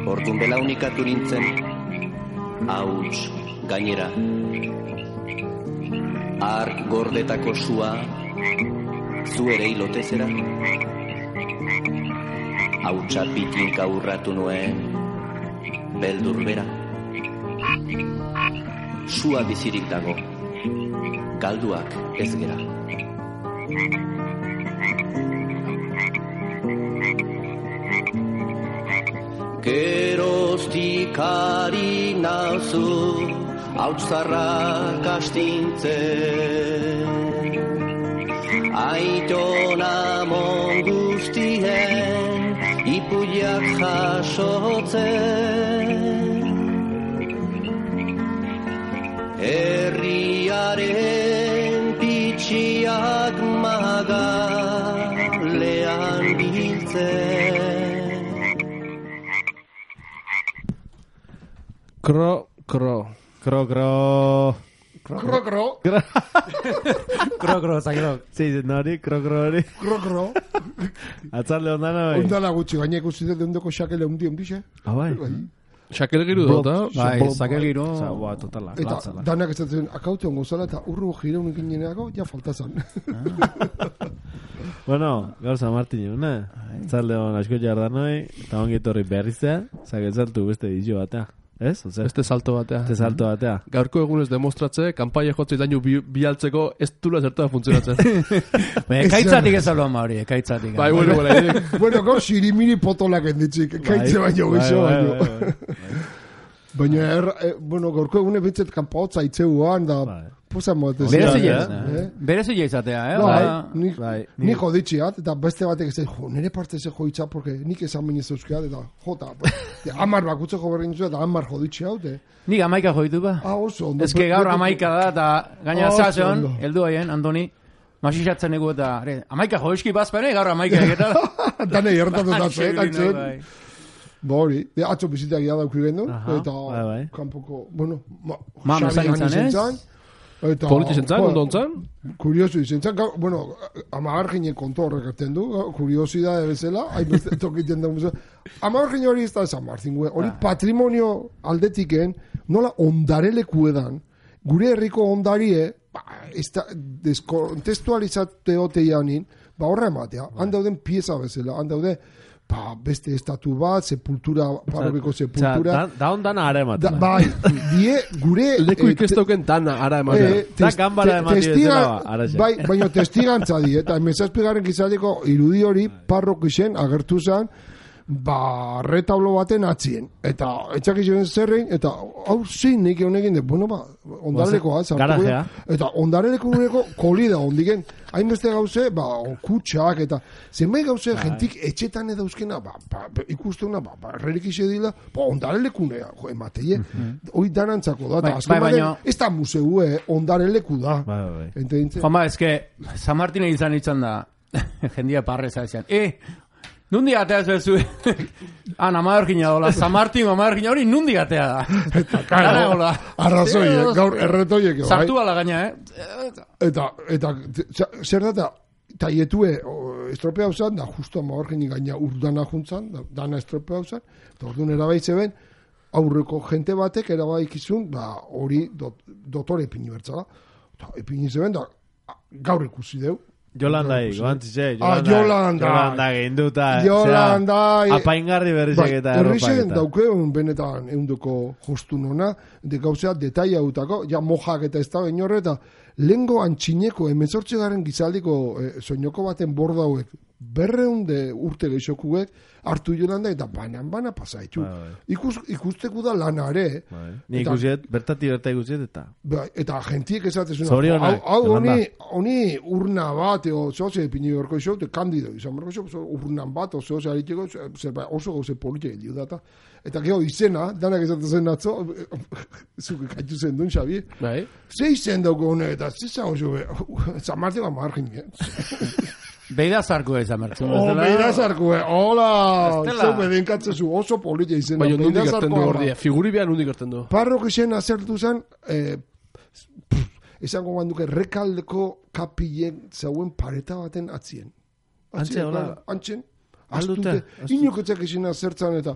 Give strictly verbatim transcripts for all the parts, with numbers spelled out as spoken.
Ordun belaunikatu nintzen, hauts gainera. Ark gordetako sua, zu ere hilotezera. Hautsa pitinka urratu nuen, beldur bera. Sua bizirik dago, galduak ez gera. Geroztik ari nauzu, hautzarrak astintzen. Aiton amon guztien, ipuiak jasotzen. Herriaren pitxiak magalean biltzen. Kro, kro, kro, kro. Kro, kro. Kro, kro, zakero. Sí, nori, kro, kro, hori. Kro, kro. Atzalde ondana, bai. Ondala gutxi, gaina ikusi dut ondoko xakele undi ondixe. Ah, bai. Xakele giru dut, bai, xakele giru. Ba, totala, eta latzala. danak ez zen, akaute ongo zala, eta urru jireun ikineneako, ja faltazan. Bueno, gaur San Martin egun, ne? Atzalde hon asko jardanoi, eta ongi etorri berriztea, zaketzaltu beste dizio batea. Ez? Este salto batea. Este salto batea. Gaurko egunez demostratze, kanpaia jotze dañu bi, bialtzeko ez dula zertua funtzionatzen. Ekaitzatik ez alo ama hori, ekaitzatik. Bai, bueno, bueno. Bueno, gaur sirimiri potolak enditzik, ekaitze baino gixo baino. Baina, er, eh, bueno, gaurko egune bintzet kanpaotza itzeuan, da, posa moatez. Berezi izatea, eh? Bai, ni joditxiat, eta beste batek ez jo, nire parte ze joitza, porque nik esan bainez euskiat, eta jota, amar bakutzeko berrin zu, eta amar joditxi haute. Nik amaika joitu ba. Ah, oso, ondo. Ez que gaur amaika da, eta gaina zazen, eldu haien, Andoni, masixatzen egu eta, amaika joizki bazpene, gaur amaika egeta. Dane gertatu datzen, datzen. Bori, de atzo bizitak ia dauki gendu, eta kanpoko, bueno, xabian izan ez? Politi zentzan, ondo ontzan? Kuriosu izan zan, bueno, amagar ginen konto horrek erten du, kuriosidade bezala, hain tokiten da museo. Amagar ginen hori ez da San Martin, hori patrimonio aldetiken, nola ondareleku edan, gure herriko ondarie, deskontestualizate hote janin, ba horra ematea, handauden pieza bezala, handaude, ba, beste estatu bat, sepultura, parrobiko sepultura. Da, da ondan ara ematen. Bai, die, gure... Leku ikestoken dana ara ematen. Da gambara ematen bezala, ara zen. Bai, baina testigantza die, eta emezazpigaren gizateko irudi hori parrokixen agertu zen, ba, retablo baten atzien. Eta, etxak izan zerrein, eta, hau zin, nik egon egin, bueno, ba, ondarelekoa, garajea. Eta, ondareleko nureko kolida ondigen, hainbeste gauze, ba, kutsak, eta, zenbait gauze, jentik etxetan edauzkena, ba, ba, ikusteuna, ba, ba, errerik ize dila, ba, ondarelekunea, jo, emateie, hoi danantzako da, eta, azken baina, ez da museu, eh, ondareleku da. Bai, bai. Juan, ba, ez que, San Martine izan izan da, jendia parreza izan, eh, nundi atea zuezu, han amadarkina dola, San Martin amadarkina hori nundi atea da. Eta, karo, arrazoi, gaur erretoiek. Sartu ala gaina, eh? Eta, eta, zer data, taietue estropea hausan, da justu amadarkina gaina urdana juntzan, dana estropea hausan, eta orduan erabaitze ben, aurreko jente batek erabaikizun, da hori dotore epini bertzala. Eta epini zeben, da gaur ikusi deu. Jolandai, goantzize, Jolanda. Jolanda. Jolanda ginduta. Jolanda. Apaingarri berrizek eta erropa. Errixen dauke un benetan eundoko jostun ona, de gauzea detaia utako, ja mojak eta ez da benorre, eta lengo antxineko, emezortze garen gizaldiko eh, soinoko baten borda hauek, berreun de urte geixokuek, hartu Jolanda eta banan-bana pasaitu. Ikus, ikusteko da lanare. Ni ikusiet, bertati berta ikusiet eta... Eta gentiek esatezuna. Zorionak. Hau, honi, honi urna bat, o zoze epini berko iso, de kandido, izan berko iso, urnan bat, o zoze hariteko, oso gauze politik edio data. Eta gero izena, danak esatezen atzo, zuke kaitu zen duen, Xabi. Bai. Ze izen dauko honek, eta ze zan oso, San Martin ba margin, Beida zarkue izan bertzen. Oh, beida zarkue, hola! Zo bedenkatze zu, oso politia izena. Baina nundik erten du gordia, figuri behan nundik erten du. Parrok izan azertu zen, eh, esango ganduke Rekaldeko kapillen zauen pareta baten atzien. Antxe, hola. Antxen, Aldute, astute, inoketzak izena zertzan eta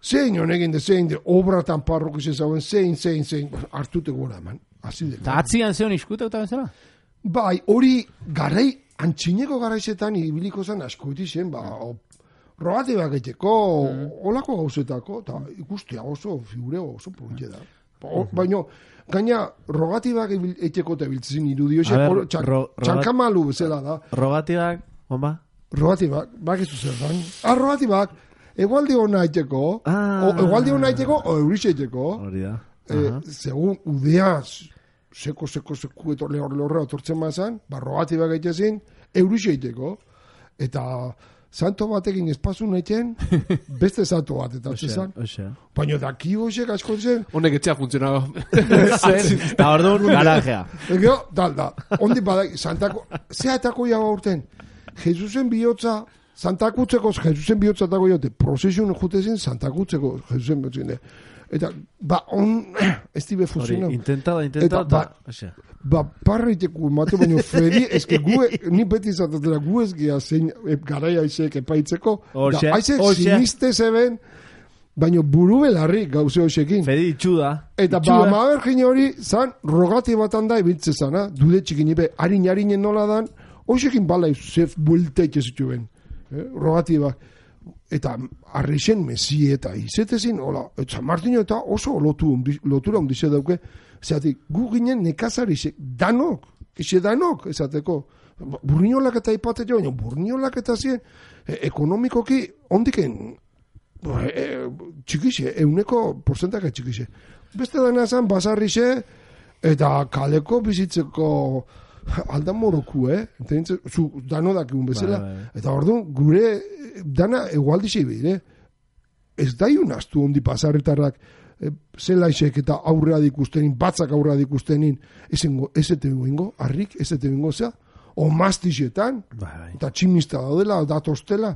zein honegin de, zein de, obratan parrok izan zauen, zein, zein, zein, hartute gora eman. Eta atzian zeon iskuta eta bezala? Bai, hori garai, antxineko garaizetan ibiliko zen asko zen, ba, rogatibak egiteko, mm. olako gauzetako, eta ikustea oso figure oso politxe da. Ba, baina, gaina, rogatibak egiteko eta biltzen irudio, txan, ro, txankamalu bezala da. Rogatibak, onba? Rogatibak, bakizu zer dan. Ah, rogatibak, egualdi hona egiteko, ah. o egualdi hona egiteko, o eurixe egiteko. Hori da. Eh, segun udeaz, seko, seko, seko, eto lehor lehorra otortzen mazan, ba, rogatibak egitezin, eurixe egiteko. Eta santo batekin espazun egiten, beste santo bat, eta zezan. Baina daki hoxek asko zen. Honek etxea funtzionaba. Eta orduan garajea. Ego, dal, da, ondi badak, santako, zehatako jago urten, Jesusen bihotza, santakutzeko Jesusen bihotza tako jote, prozesion jutezin santakutzeko Jesusen bihotza. Eta, ba, on, ez dibe funtzionau. Intenta da, intenta da. Ba, ba parriteko mate, baina Fredi, eske gu, ni beti zatatela, gu ez gea zein garaia aizek epaitzeko, da, aizek siniste zeben, baina buru belarri gauze hoxekin. Fredi itxuda. Eta ba, amabergin hori, zan, rogati batan da, ibitze zana, dude txikinipe, harin-harinen nola dan, hoxekin bala zef buelteik ez zituen. Eh? Rogatibak. Eta arrixen mesi eta izetezin, hola, eta Martino eta oso lotu, lotura ondize dauke, zeatik, gu ginen nekazari danok, eze danok, ezateko, burniolak eta ipate jo, baina burniolak eta zien, e, ekonomikoki, ondiken, e, txikixe, euneko porcentaka txikixe. Beste dana zan, basarrixe, eta kaleko bizitzeko, aldan moroku, eh? Entenditze, zu dano dakigun bezala. Bai, bai. Eta orduan, gure dana egualdixe bide. Ez da iun astu ondi pasarretarrak e, zelaixek eta aurrea dikustenin, batzak aurrea dikustenin, ezete bingo, harrik, ezete bingo zea, o mastixetan, bai, bai. Eta tximista daudela, datostela,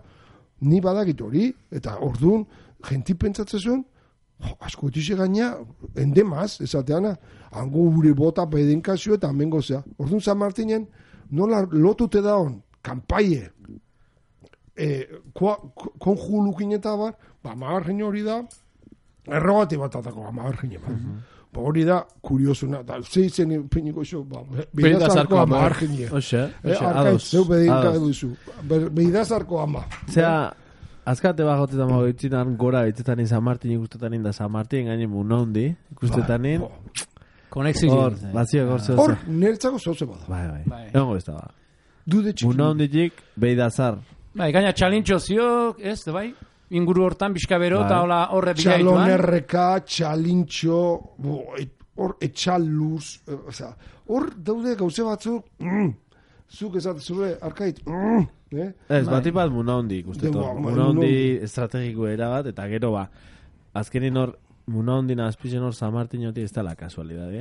ni badakit hori, eta orduan, jenti pentsatzen zuen, oh, asko etixe gaina, endemaz, esateana, hango gure bota pedenkazio eta amengo zea. Orduan San Martinen, nola lotute daun, kanpaie, e, konjulukin eta bar, ba, magarren hori da, errogati bat atako, ba, magarren bat. Mm -hmm. Ba, hori da, kuriosuna, da, zeitzen piniko xo, ba, behidazarko ama magarren. Oxe, oxe, ados. Zeu bedinka eduzu, behidazarko ama. Zea, azkate bajotetan mago itzitan gora itzetan San Martin ikustetan inda San Martin gainen munondi ikustetan in. Konexio. Hor, bazio gortze. Hor, nertzako zoze bada. Bai, bai. Egongo ez da ba. Dude txiki. Munonditik beidazar. Bai, gaina txalintxo ziok, ez, bai? Inguru hortan, bizkabero, eta hola horre bilaituan. Txalonerreka, txalintxo, hor etxaluz, hor daude gauze batzuk, mm, zuk ezat, zure arkait, mm, eh? Ez, bat ipat munondi ikusteto. Munondi estrategiko erabat, eta gero ba, azkenin hor, munondina azpizen hor San Martinoti ez da la kasualidad,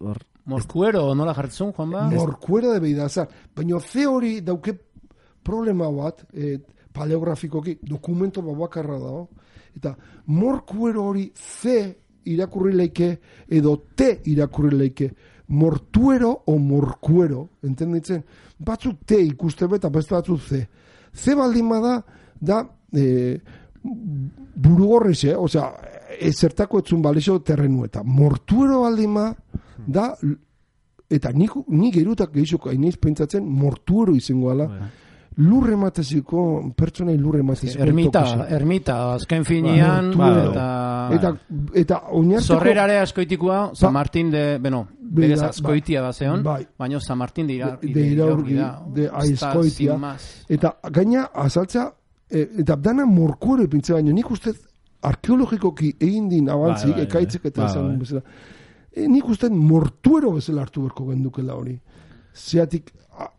hor... Morkuero, nola jartzun, Juan ba? Morkuero de beidazar. Baina ze hori dauke problema bat, eh, paleografikoki, dokumento babakarra dago, eta morkuero hori ze irakurri leike, edo te irakurri leike, mortuero o morkuero, entenditzen? Batzuk te ikuste beta, beste batzuk ze. Ze baldin bada, da, eh, burugorrixe, osea, ezertako etzun balixo terrenu, eta mortuero baldin bada, da, eta nik, nik erutak gehizoko haineiz pentsatzen mortuero izango ala, lurre mateziko, pertsonai lurre mateziko. Ermita, ermita, azken finean, ba, eta, eta, eta oinarteko... Zorrerare askoitikoa, San Martin de, beno, berez askoitia da zeon, bai, baina San Martin de ira, de iraurgi, de aizkoitia, eta gaina azaltza, eta dana morkuero ipintze baino, nik uste arkeologikoki egin din abantzik, ekaitzek eta esan bezala, E, nik uste mortuero bezala hartu berko gendukela hori. Zeatik,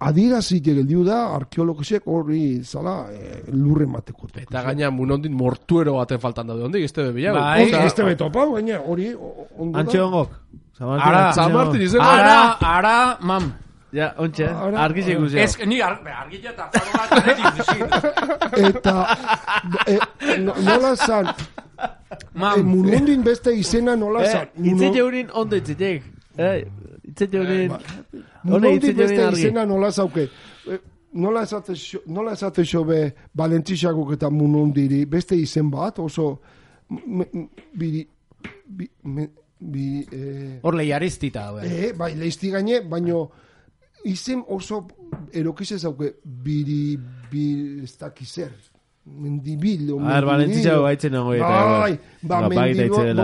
adirazik egeldiu da, arkeologisek hori zala e, lurre mateko. Eta gaina munondin mortuero baten faltan daude, ondik, ez tebe bilago. Bai, ez tebe topa, gaina hori ondo da. Antxe ongok. Ara, San Martin izango. Ara, ara, mam. Ja, ontxe, argizik uzio. Ez, ni argila eta faro bat eta nola zan, munondin beste izena nola zan. Itze jeurin ondo itzetek. itzen joren... Munondi beste izena nola zauke. Nola esate nola esate xobe Valentzixakok eta Munondiri beste izen bat, oso... Biri... Bi... Hor lehiaristita, eh, bai, leizti gaine, baino... Izen oso erokize zauke biri... Biri... Ez dakizer... Mendibil... A ver, Valentzixako gaitzen nago eta... Bai, ba, mendibil...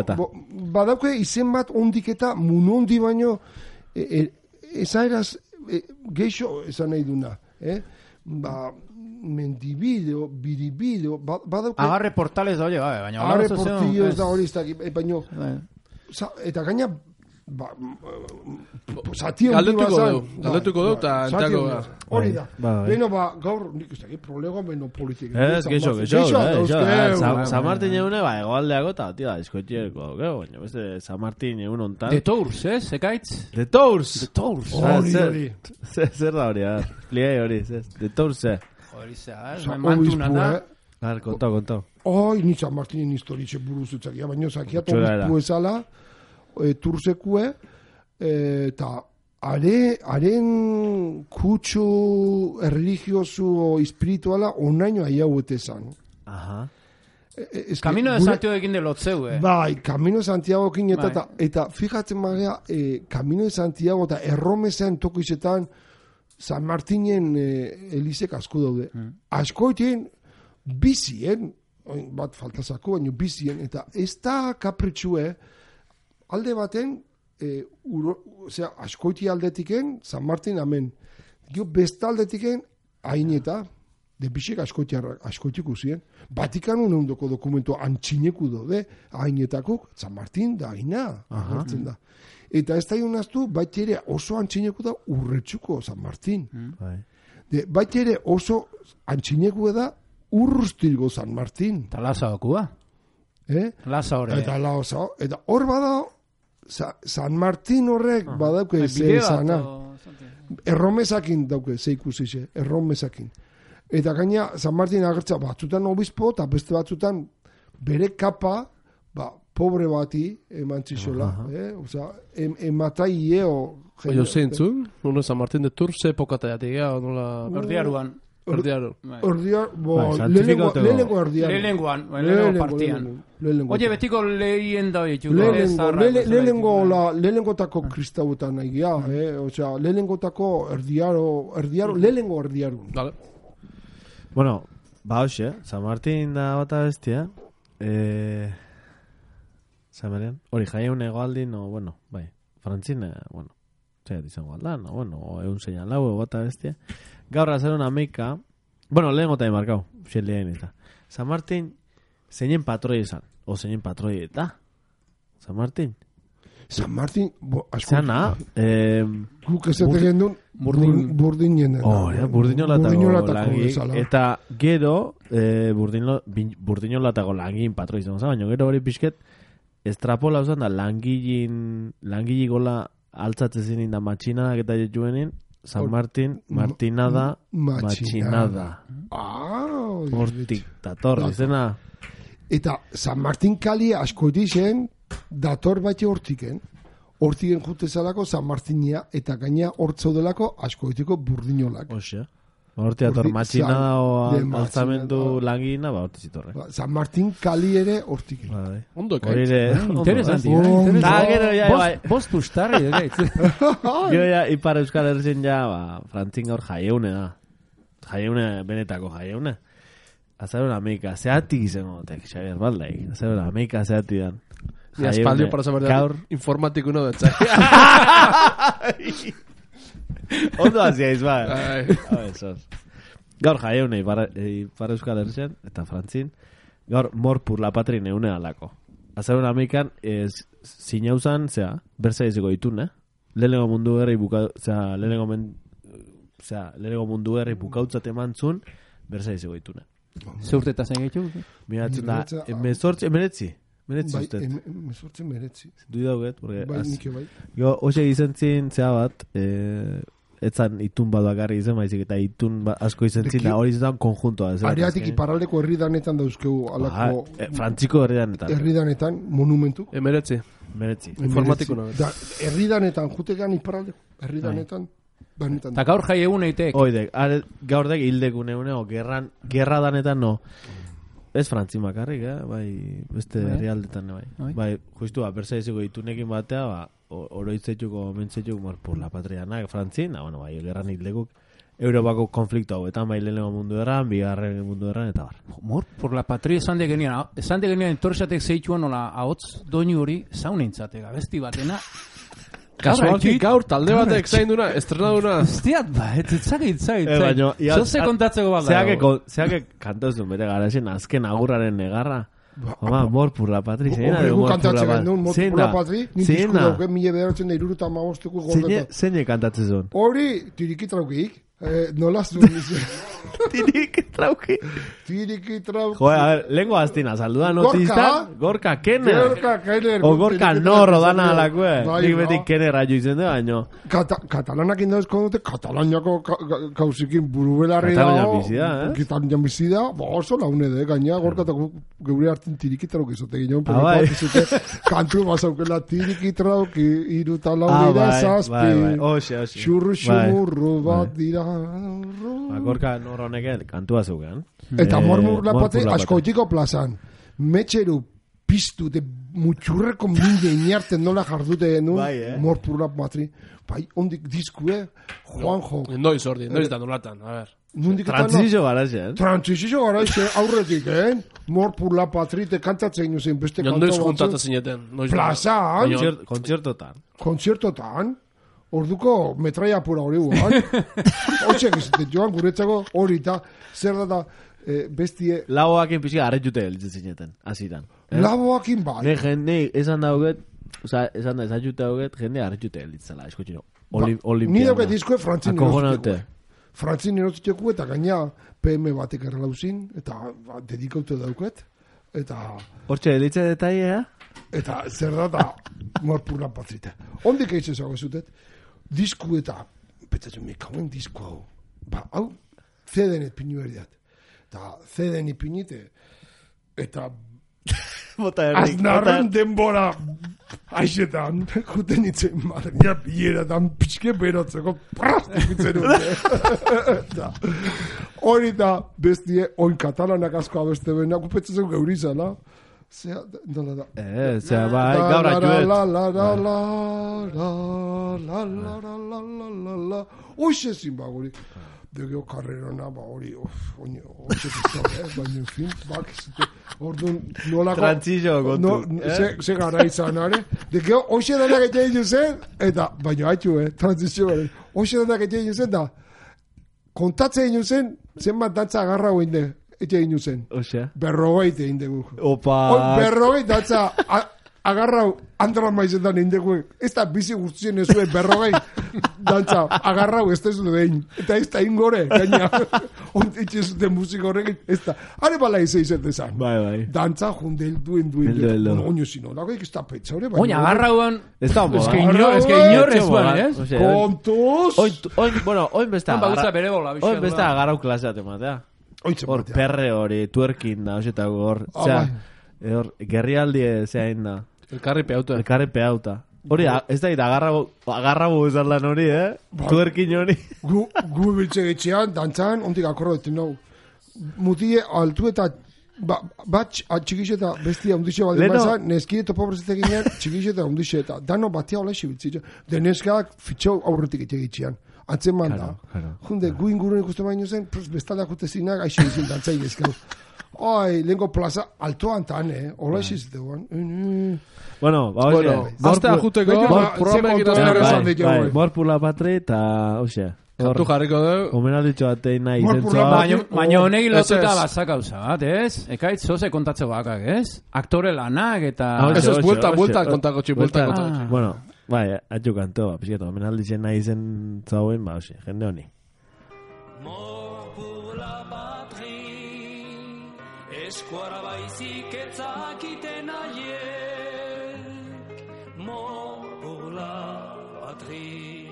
Badauke izen bat ondik eta Munondi baino... Ezaeraz... Geixo esan nahi duna. Eh? Ba, mendibido, biribido, badauke... Agarre portales da, oye, baina... Agarre portillos da hori, baina... Eta gaina... Zati hori bazan... Galdetuko du, eta entako da. Hori da. Beno, ba, gaur, nik ez dakit, problema beno politik. Ez, geixo, geixo. San Martin egune, ba, egoaldeako, eta, tira, diskoetxeko, baina, beste, San Martin egun ontan. De Tours, eh, sekaitz? De Tours! De Tours. Hori, hori. Zer da hori, pliei hori, de Tours, eh. Hori, zer, mantuna da. Har, kontau, kontau. Oi, ni San Martinen historitxe buruz utzakia, baina zakiat obizpu ezala, Tursekue, eta haren kutsu religiosu o espirituala onaino aiauete zan. Aha. Camino de Santiago ekin de lotzeu, eh? Bai, Camino de Santiago ekin eta, eta fijatzen magea, eh, Camino de Santiago eta erromezean toko izetan San Martinen eh, elizek asko daude. Mm. Askoitien bizien, bat faltazako, baina bizien, eta ez da kapritxue, alde baten, e, uro, osea, askoiti aldetiken, San Martin amen. Gio, besta aldetiken, haineta, de bisek askoitiku ziren. Vatikan unundoko dokumento antxineku dode, hainetakuk, San Martin da haina, agertzen da. Eta ez da ionaztu, baita ere oso antxineku da urretxuko San Martin. Mm. De, baita ere oso antxineku da urrustilgo San Martin. Eta lasa okua. Eh? Lasa hori. Eta lasa, eta hor bada, Sa, San Martin horrek uh-huh. badauke ze esana. Erromesakin dauke, ze ikusize, erromesakin. Eta gaina, San Martin agertza batzutan obispo, eta beste batzutan bere kapa, ba, pobre bati eman txixola. Uh-huh. Eh? Osa, em, ematai ieo. Oio zeintzu, uno San Martin de Tours, epokata jategea, nola... Erdiaruan. Erdiaru. Erdiar, bo, lehenengo erdiaru. Lehenengoan, lehenengo partian. Oye, betiko lehien da horietxu. Lehenengotako kristauetan nahi gira, eh? Osea, lehenengotako erdiaro, erdiaro, lehenengo erdiaru. Dale. Bueno, ba hoxe, San Martin da bata bestia. Eh... Zameren, hori jaieun egoaldin, no, bueno, bai, frantzine, bueno, zaiat izango aldan, no, bueno, egun zeinan lau, bata bestia. Gaur hacer una meika, bueno, lehen gota de marcao, xe lehen eta. San Martin, zeinen patroi izan, o zeinen patroi eta. San Martin. San Martin, bo, asko. Zana, eh... Guk ezatek duen, burdinen. Oh, ja, burdinolatako langi. Eta gero, eh, burdinolatako langin patroi izan, baina gero hori pixket, estrapola uzan da langilin, langili gola altzatzen da matxinadak eta jetuenin, San Martin, Martinada, Machinada. Ah, hortik dator, izena. Eta San Martin kali asko dizen, dator bate hortiken. Hortiken jutezalako San Martinia, eta gaina hortzaudelako asko ditiko burdinolak. Oxe. Horti dator, Machinada o altzamendu langina, ba, horti zitorre. San Martin kali ere hortiken. Ondo ekaitz. Horire, interesanti. Da, gero, ja, bai. Bost ustarri, egaitz. Gero, ja, Ipar Euskal Herrien ja, ba, frantzin gaur jaieune da. Jaieune, benetako jaieune. Azar una meika, zeatik izango, tek, Xavier Baldaik. Azar una meika, zeatik dan. Ja, espaldio para saber gaur informatiko no dentzai. Ondo haziaiz, ba. Gaur jaieune Ipar Euskal Herrien, eta frantzin, gaur morpur la patrin eune alako. Azar una meikan, zinauzan, zea, berza izeko ditun, eh? Lehenengo mundu gerri buka, zea, lehenengo men, zea, lehenengo mundu gerri bukautzat emantzun, berza izeko ditun, eh? Zurteta zen gaitu? Miratzen da, emezortzi, emeretzi? Meretzi bai, usted? Emezortzi meretzi. Du dauget, porque... Bai, nike bai. Jo, hoxe gizentzin, zea bat, eh, etzan itun bat bakarri izan, baizik eta itun ba, asko izan zin, da hori izan konjuntoa. Ariatik iparraldeko herridanetan dauzkegu alako... Ba, e, frantziko herridanetan. Herridanetan, monumentu. Emeretzi. Meretzi. Informatiko nago. Da, herridanetan, jutegan iparraldeko, herridanetan, benetan. Eta gaur jai egun eitek. Oidek, are, gaur dek hildek une une, o gerran, gerra danetan no. Ez frantzi makarrik, eh? Bai, beste herrialdetan, bai. Bai, bai justu, apersa iziko itunekin batea, ba, oroitzetuko, mentzetuko, mor, por la patriana, frantzin, da, bueno, bai, gerran hildekuk, Europako konflikto hauetan, bai, lehenengo mundu erran, bigarren mundu erran, eta bar. Mor, por la patria esan de genian, esan de genian entorxatek zeituan, nola, ahotz doinu hori, zaunentzate, gabesti batena, Kasualki gaur talde batek zain duna, estrenaduna. Hostiat, ba, ez zagit, zagit, Eh, baino, zagit. Zose kontatzeko bat dago. Zeake kantazun bere garazen azken agurraren negarra. Homa, mor por la patri. Zeina de mor por la patri. Mor por la patri. Ni disku dauke, mila bederatzen da iruruta amagosteko gordeta. Zeine kantatzen zuen? Hori, tiriki traukik. Eh, nola zuen dizu. Tiriki trauki. Tiriki trauki. Joder, a ver, lengo astina, saluda notista. Gorka Kenner. Gorka Kenner. O Gorka Norro dana alakue. Nik beti Kenner aio izen du, baino. Katalanak indazko dute, Katalaniako kausikin burubelarri dago. Katalanian bizida, eh? Katalanian bizida, ba oso laune de, gaina Gorka eta geure hartzen tiriki trauki zote ginen. Ah, bai. Kantu bazaukela tiriki trauki, iruta laurira zazpi. Oxe, oxe. Xurru xumurru bat dira. Gorka Norro honek kantua zeugan. Eta mormur lapatze askoitiko plazan. Metxeru piztu de mutxurreko minde inarten nola jardute nu morpur lapatri. Bai, ondik diskue, Juanjo. Noiz ordi, noiz da nolatan, a ver. Transizio garazen. Transizio garazen, aurretik, eh? Morpur lapatri te kantatzen zen beste kanto. Noiz juntatzen zineten. Plazan. Kontzertotan. Kontzertotan. Orduko metraia pura hori guan. Hoxek izate joan guretzako hori eta zer da eh, bestie... Laboakin pixka arretxute elitzen zineten, aziran. Eh? Laboakin bai. Ne, jende, esan dauget, oza, esan da, esan jute dauget, jende arretxute elitzela, eskotxino. Olimpiana. Ni dauget dizkoe frantzin erotiteko. Frantzin erotiteko eta gaina P M batek erlauzin, eta ba, dedikaute dauket. Eta... Hortxe, elitze detailea? Eta zer da da morpurra patrita. Ondik eitzen zago zutet, disku eta, petzatzen mekauen disku hau. Ba, hau, zedenet pinu erdiat. Eta zeden ipinite, eta aznarren denbora aixetan, juten itzen marria bileratan pixke berotzeko prastikitzen dute. Hori da bestie, oin katalanak asko abeste bena, kupetzatzen geurizala. Zea, dola da. Eh, zea, bai, gaur atxuet. La, la, la, la, la, la, la, la, la, la, la, la. Oixe zin ba, guri. Degeo karrerona, ba, hori, oine, oixe zizte, eh, baina, en fin, bak, orduan, nolako... Trantzillo, kontu. No, ze gara izan, are? Degeo, oixe danak egin juzen, eta, baina, haitxu, eh, trantzizio, eh, oixe danak egin juzen, da, kontatzen egin juzen, zenbat datza agarra hoin de, ete egin juzen. Osea? Berrogeite egin dugu. Opa! Berrogeite datza agarrau andra maizetan egin dugu. Ez da bizi guztien ezue berrogei dantza agarrau ez da ez du dein. Eta ez da ingore, gaina. Ontitxe zuten musik horrekin, ez da. Hare bala izan izan. Bai, bai. Dantza jundel duen duen. Eldo, eldo. Oño zino, lago ez da petza hori. Oina, agarrauan... Ez da homo, Ez que inor, ez que inor ez ban, ez? Kontuz! Oin, oin, bueno, oin besta... Oin bagutza bere bola, bizka. Oin besta agarrau klaseat ematea. Hor, perre hori, tuerkin da, osetako hor. Osea, hor, gerrialdi zehain da. Elkarri peauta. Elkarri peauta. Hori, ez da, agarrabo, agarrabo izan lan hori, eh? Tuerkin hori. Gu, gu biltze getxean, dantzan, ondik akorro deten nau. Mutie, altu eta, bat, txikixeta, bestia, undixe baldin bazan, neskide topo brezetek ginean, txikixeta, undixe eta, dano batia hola xibiltzitza. De neskak fitxau aurretik etxean. Antzen manda. Junde, gu inguruen ikusten baino zen, bestalda jute zinak, aixi izin dantzai ezkeu. Oi, lehenko plaza, altoan tan, eh? Ola esi ziteguan. Bueno, ba, oie. Aztea juteko, Mor pula patri, eta, osea. Kantu jarriko dugu. Omenalditxo batein nahi zentzoa. Baina honek lotuta batzak hauza bat, ez? Ekaitz zoze kontatze bakak, ez? Aktore lanak eta... Eso es buelta, buelta kontako txi, buelta kontako txi. Bueno, bai, atxu kantoa, pixketo, omenalditzen nahi zen zauen, ba, ose, jende honi. Mort pour la patrie, eskuara baizik etzakiten aiek. Mort pour la patrie.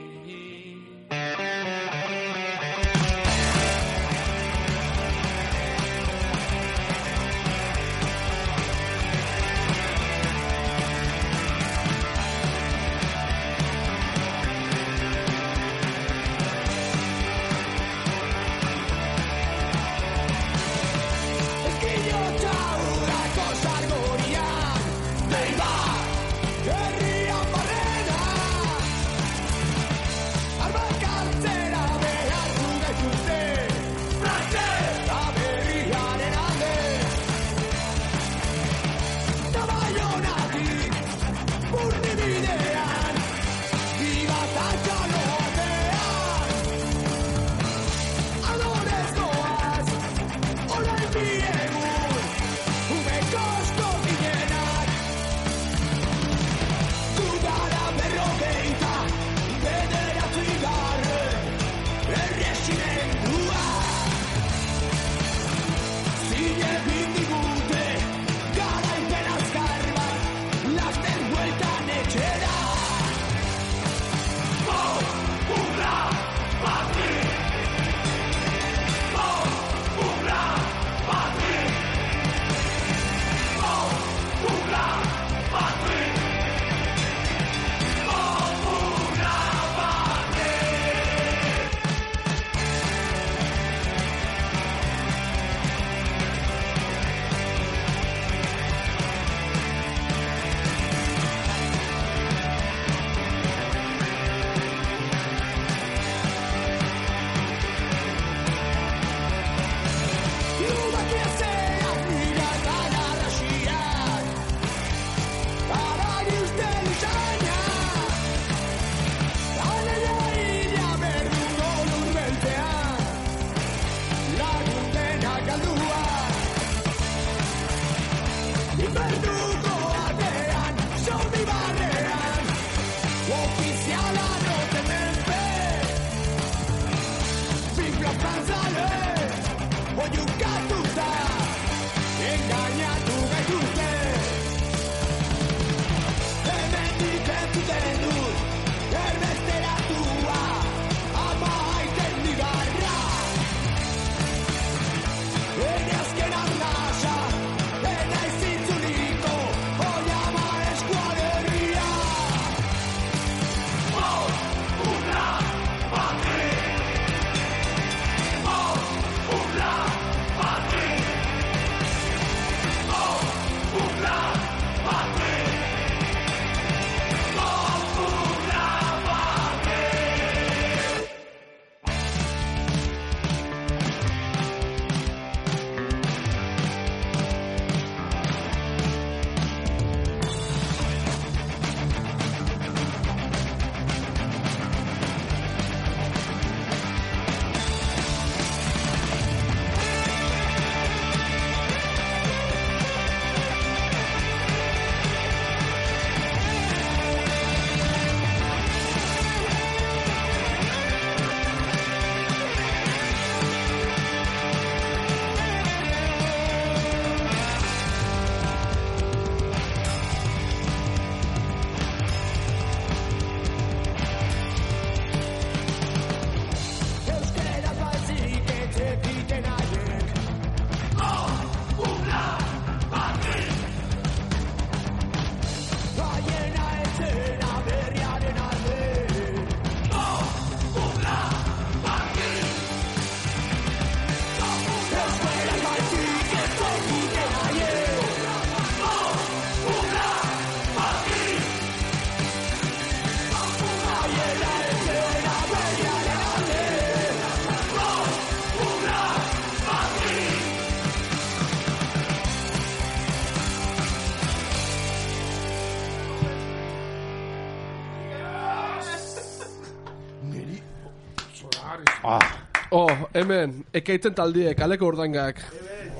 Oh, hemen, ekaitzen taldie, kaleko urdangak.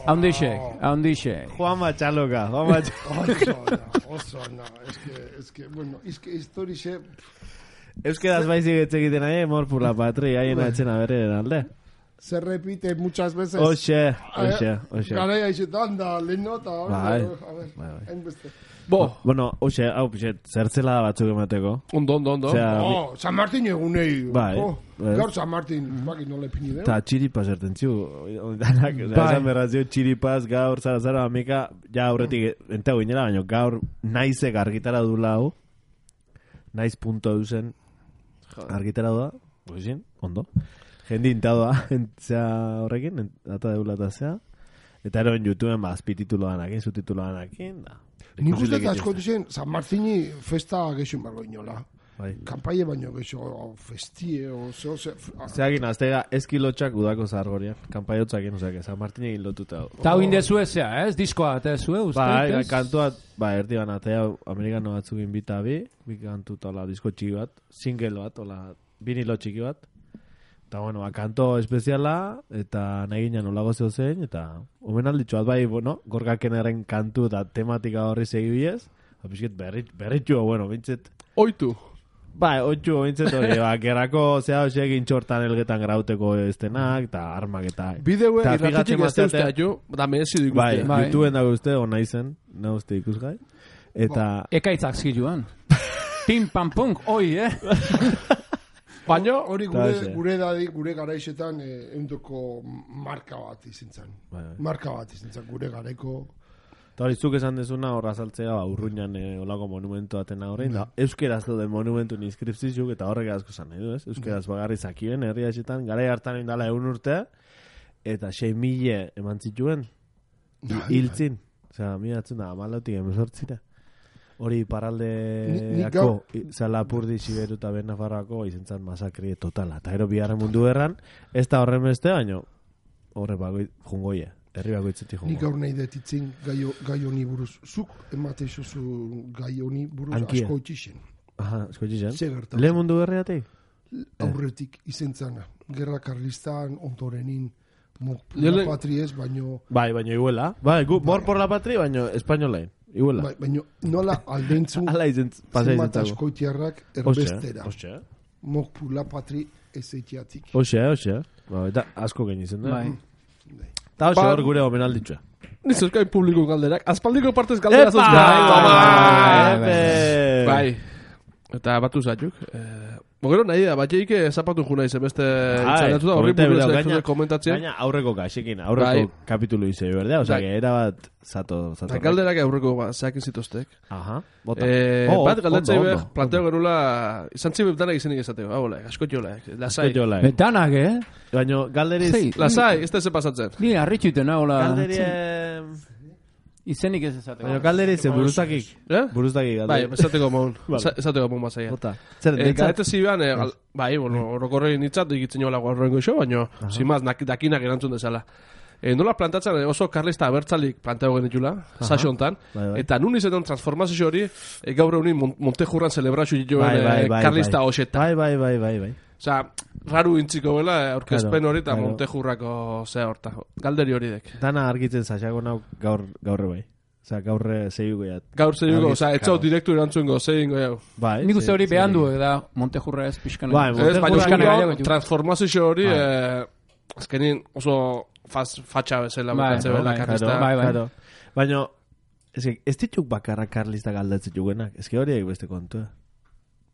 Haundixek, haundixek. Juan Matxaloka, Juan Matxaloka. Oso ona, oso ona. Es que, es que, bueno, es que historixe... Euskeraz baizik etxekiten nahi, mor por la patria, haien atxena berren alde. Se repite muchas veces. Oxe, oxe, oxe. Garaia izetan da, lehen nota. Bai, a ver, bai, bai. hainbeste. Bo, Bueno, oxe, hau pixet, zertzela batzuk emateko. ondo, ondo, ondo. Osea, Oh, San Martin egunei. Bai, Oh, ez. gaur San Martin, baki nola epini deu. eta txiripas ertentziu, danak, Bai. esan berrazio, txiripas, gaur, zara, zara, amika, ja aurretik, entego ginela, baina gaur naizek argitara du lau, naiz punto eusen argitara da, goizin, ondo. Jendi intadoa, entzea horrekin, ent- data deulata zea, eta eroen YouTubeen ba, azpititulo danakin, subtitulo danakin, da. Nik uste Ikusilik eta asko itxiste. dizen, San Martini festa gexun bargo inola. Bai. Kampaie baino gexo, o festie, o zeo, ze... Zeagin, aztega eskilotxak udako zargorian, kanpaiotzakin, oseak, San Martin egin lotuta. Ta hau indezu ezea, ez? Diskoa, eta ezue, uste? Bai, bai, ez? kantua, ba, erdi banatea, amerikano batzuk inbita bi, bi kantu tola disko txiki bat, single bat, ola, vinilo txiki bat, Eta, bueno, ba, kanto espeziala, eta nahi ginen olago zeu zein, eta omen alditxoat bai, bueno, gorgakenaren kantu eta tematika horri segibiez, apisket berrit, berritxua, bueno, bintzet, Oitu. bai, oitxu, bintzet hori, ba, gerrako, zea, hoxe egin txortan elgetan grauteko estenak, eta armak eta... Bideue, Eta irratxetik fijatzen ez da mazatea- ustea jo, da merezi du Bai, ikustea. Bai. YouTubeen dago uste, ona izen, na uste ikusgai. Eta, Ekaitzak ziluan. Pim, pam, punk, oi, eh? Baina, Hori Ta gure, ze. gure dadi, gure garaizetan eh, eundoko marka bat izin zen. bai, bai. Marka bat izin zen, gure garaiko... Eta hori zuk esan dezuna horra saltzea, ba, urruñan e, olako monumentu atena horrein, da, euskeraz dauden monumentun inskripzizuk, eta horrek asko zan nahi du, ez? Euskeraz bagarri zakien, herri hasetan, garai hartan indala egun urtea, eta sei mile eman zituen, hiltzin. Osea, miratzen da, amalautik emezortzira. Hori Ni- nik paraldeako, gaur- i- Zalapurdi, Siberu eta Benafarroako izentzan masakri totala. Eta ero biharren mundu erran, ez da horren beste, baino, horre bagoi, jungoia. Herri bagoitzetik Nik jungoia. gaur nahi detitzen gai, gai honi buruz. Zuk emate izuzu gai honi buruz Ankia. asko itxixen. Aha, eskotxi zen. Ze gertatu? Lehen mundu berriatik? Aurretik izen zana. Gerra karlistan, ondorenin, mo- Lele- la patries, baino... Bai, baino iguela. Bai, gu, mor por la patria, baino espainolain. Iguela. Bai, baino nola aldeintzu Ala izen, pasa zenbat izentzago. askoitiarrak Oxe, erbestera. oxe. Mok pu la patri ezeitiatik. Oxe, oxe. Ba, eta asko gain izen da. Bai. Eta oxe Ba- hor gure omenalditxua. nizozkain publiko galderak. Aspaldiko partez galdera zozka. bai, Epe! Bai. Eta batu zatuk. Eh, Bogero nahi da, batxeik zapatu juna izen beste itzalatu da, horri komente buruz bideo, ez gaina- komentatzen. Gaina aurreko gaxekin, aurreko Bai. kapitulu izei berdea, osea, Bai. que era bat zato, zato. Eta galderak aurreko ba, zehakin zituztek. Aha, bota. Eh, Oh, bat ondo, galdetzei ondo, be, ondo. planteo genula, izan zibe danak izenik esateko. Hau, like, asko jola, lasai. Eskotxola, eh. Betanak, eh? Baina galderiz, Sei. Lasai, ez da ze pasatzen. Ni harritxuten hola. galderi, eh, Izenik ez ezateko. baina galderiz, eh, buruzakik. Eh? Buruzakik Bai, galderi. esateko maun. Vale. Esateko maun bazaia. Bota. Zer, Eh, netzat? Gaete zibean, eh, gal- bai, bueno, orokorrein hitzat digitzen jola guarroengo iso, baina, zimaz, dakinak erantzun dezala. E, nola plantatzen, eh, oso karlista abertzalik planteo genitula, saso hontan, Bai, bai. eta nun izetan transformazio hori, e, gaur egunin Mon- Montejurran celebrazio joen Bai, bai, eh, bai, karlista bai. hoxeta. Bai, bai, bai, bai, bai. Osa, raru intziko bela, eh, aurkezpen Claro, hori eta claro. Montejurrako zea horta. Galderi hori dek. Dana argitzen saxako nau gaur, gaurre bai. Osea, gaurre zehiuko jat. Gaur zehiuko, Argiz, osa, etzau claro. direktu erantzungo, zehingo jau. Bai. Nik uste ze- hori ze- behan du, da, Montejurra ez pixkan. Bai, Ez, Montejurra baina Euskal gero, Herriako ditu. transformazio hori, Bai. eh, azkenin oso faz, fatxa bezala Bai, bukatze bela, bai, karlista. claro, bai, bai. Claro. Baina, ez, que, ez dituk bakarra karlista galdatzen juguenak. Ez que horiek beste kontua.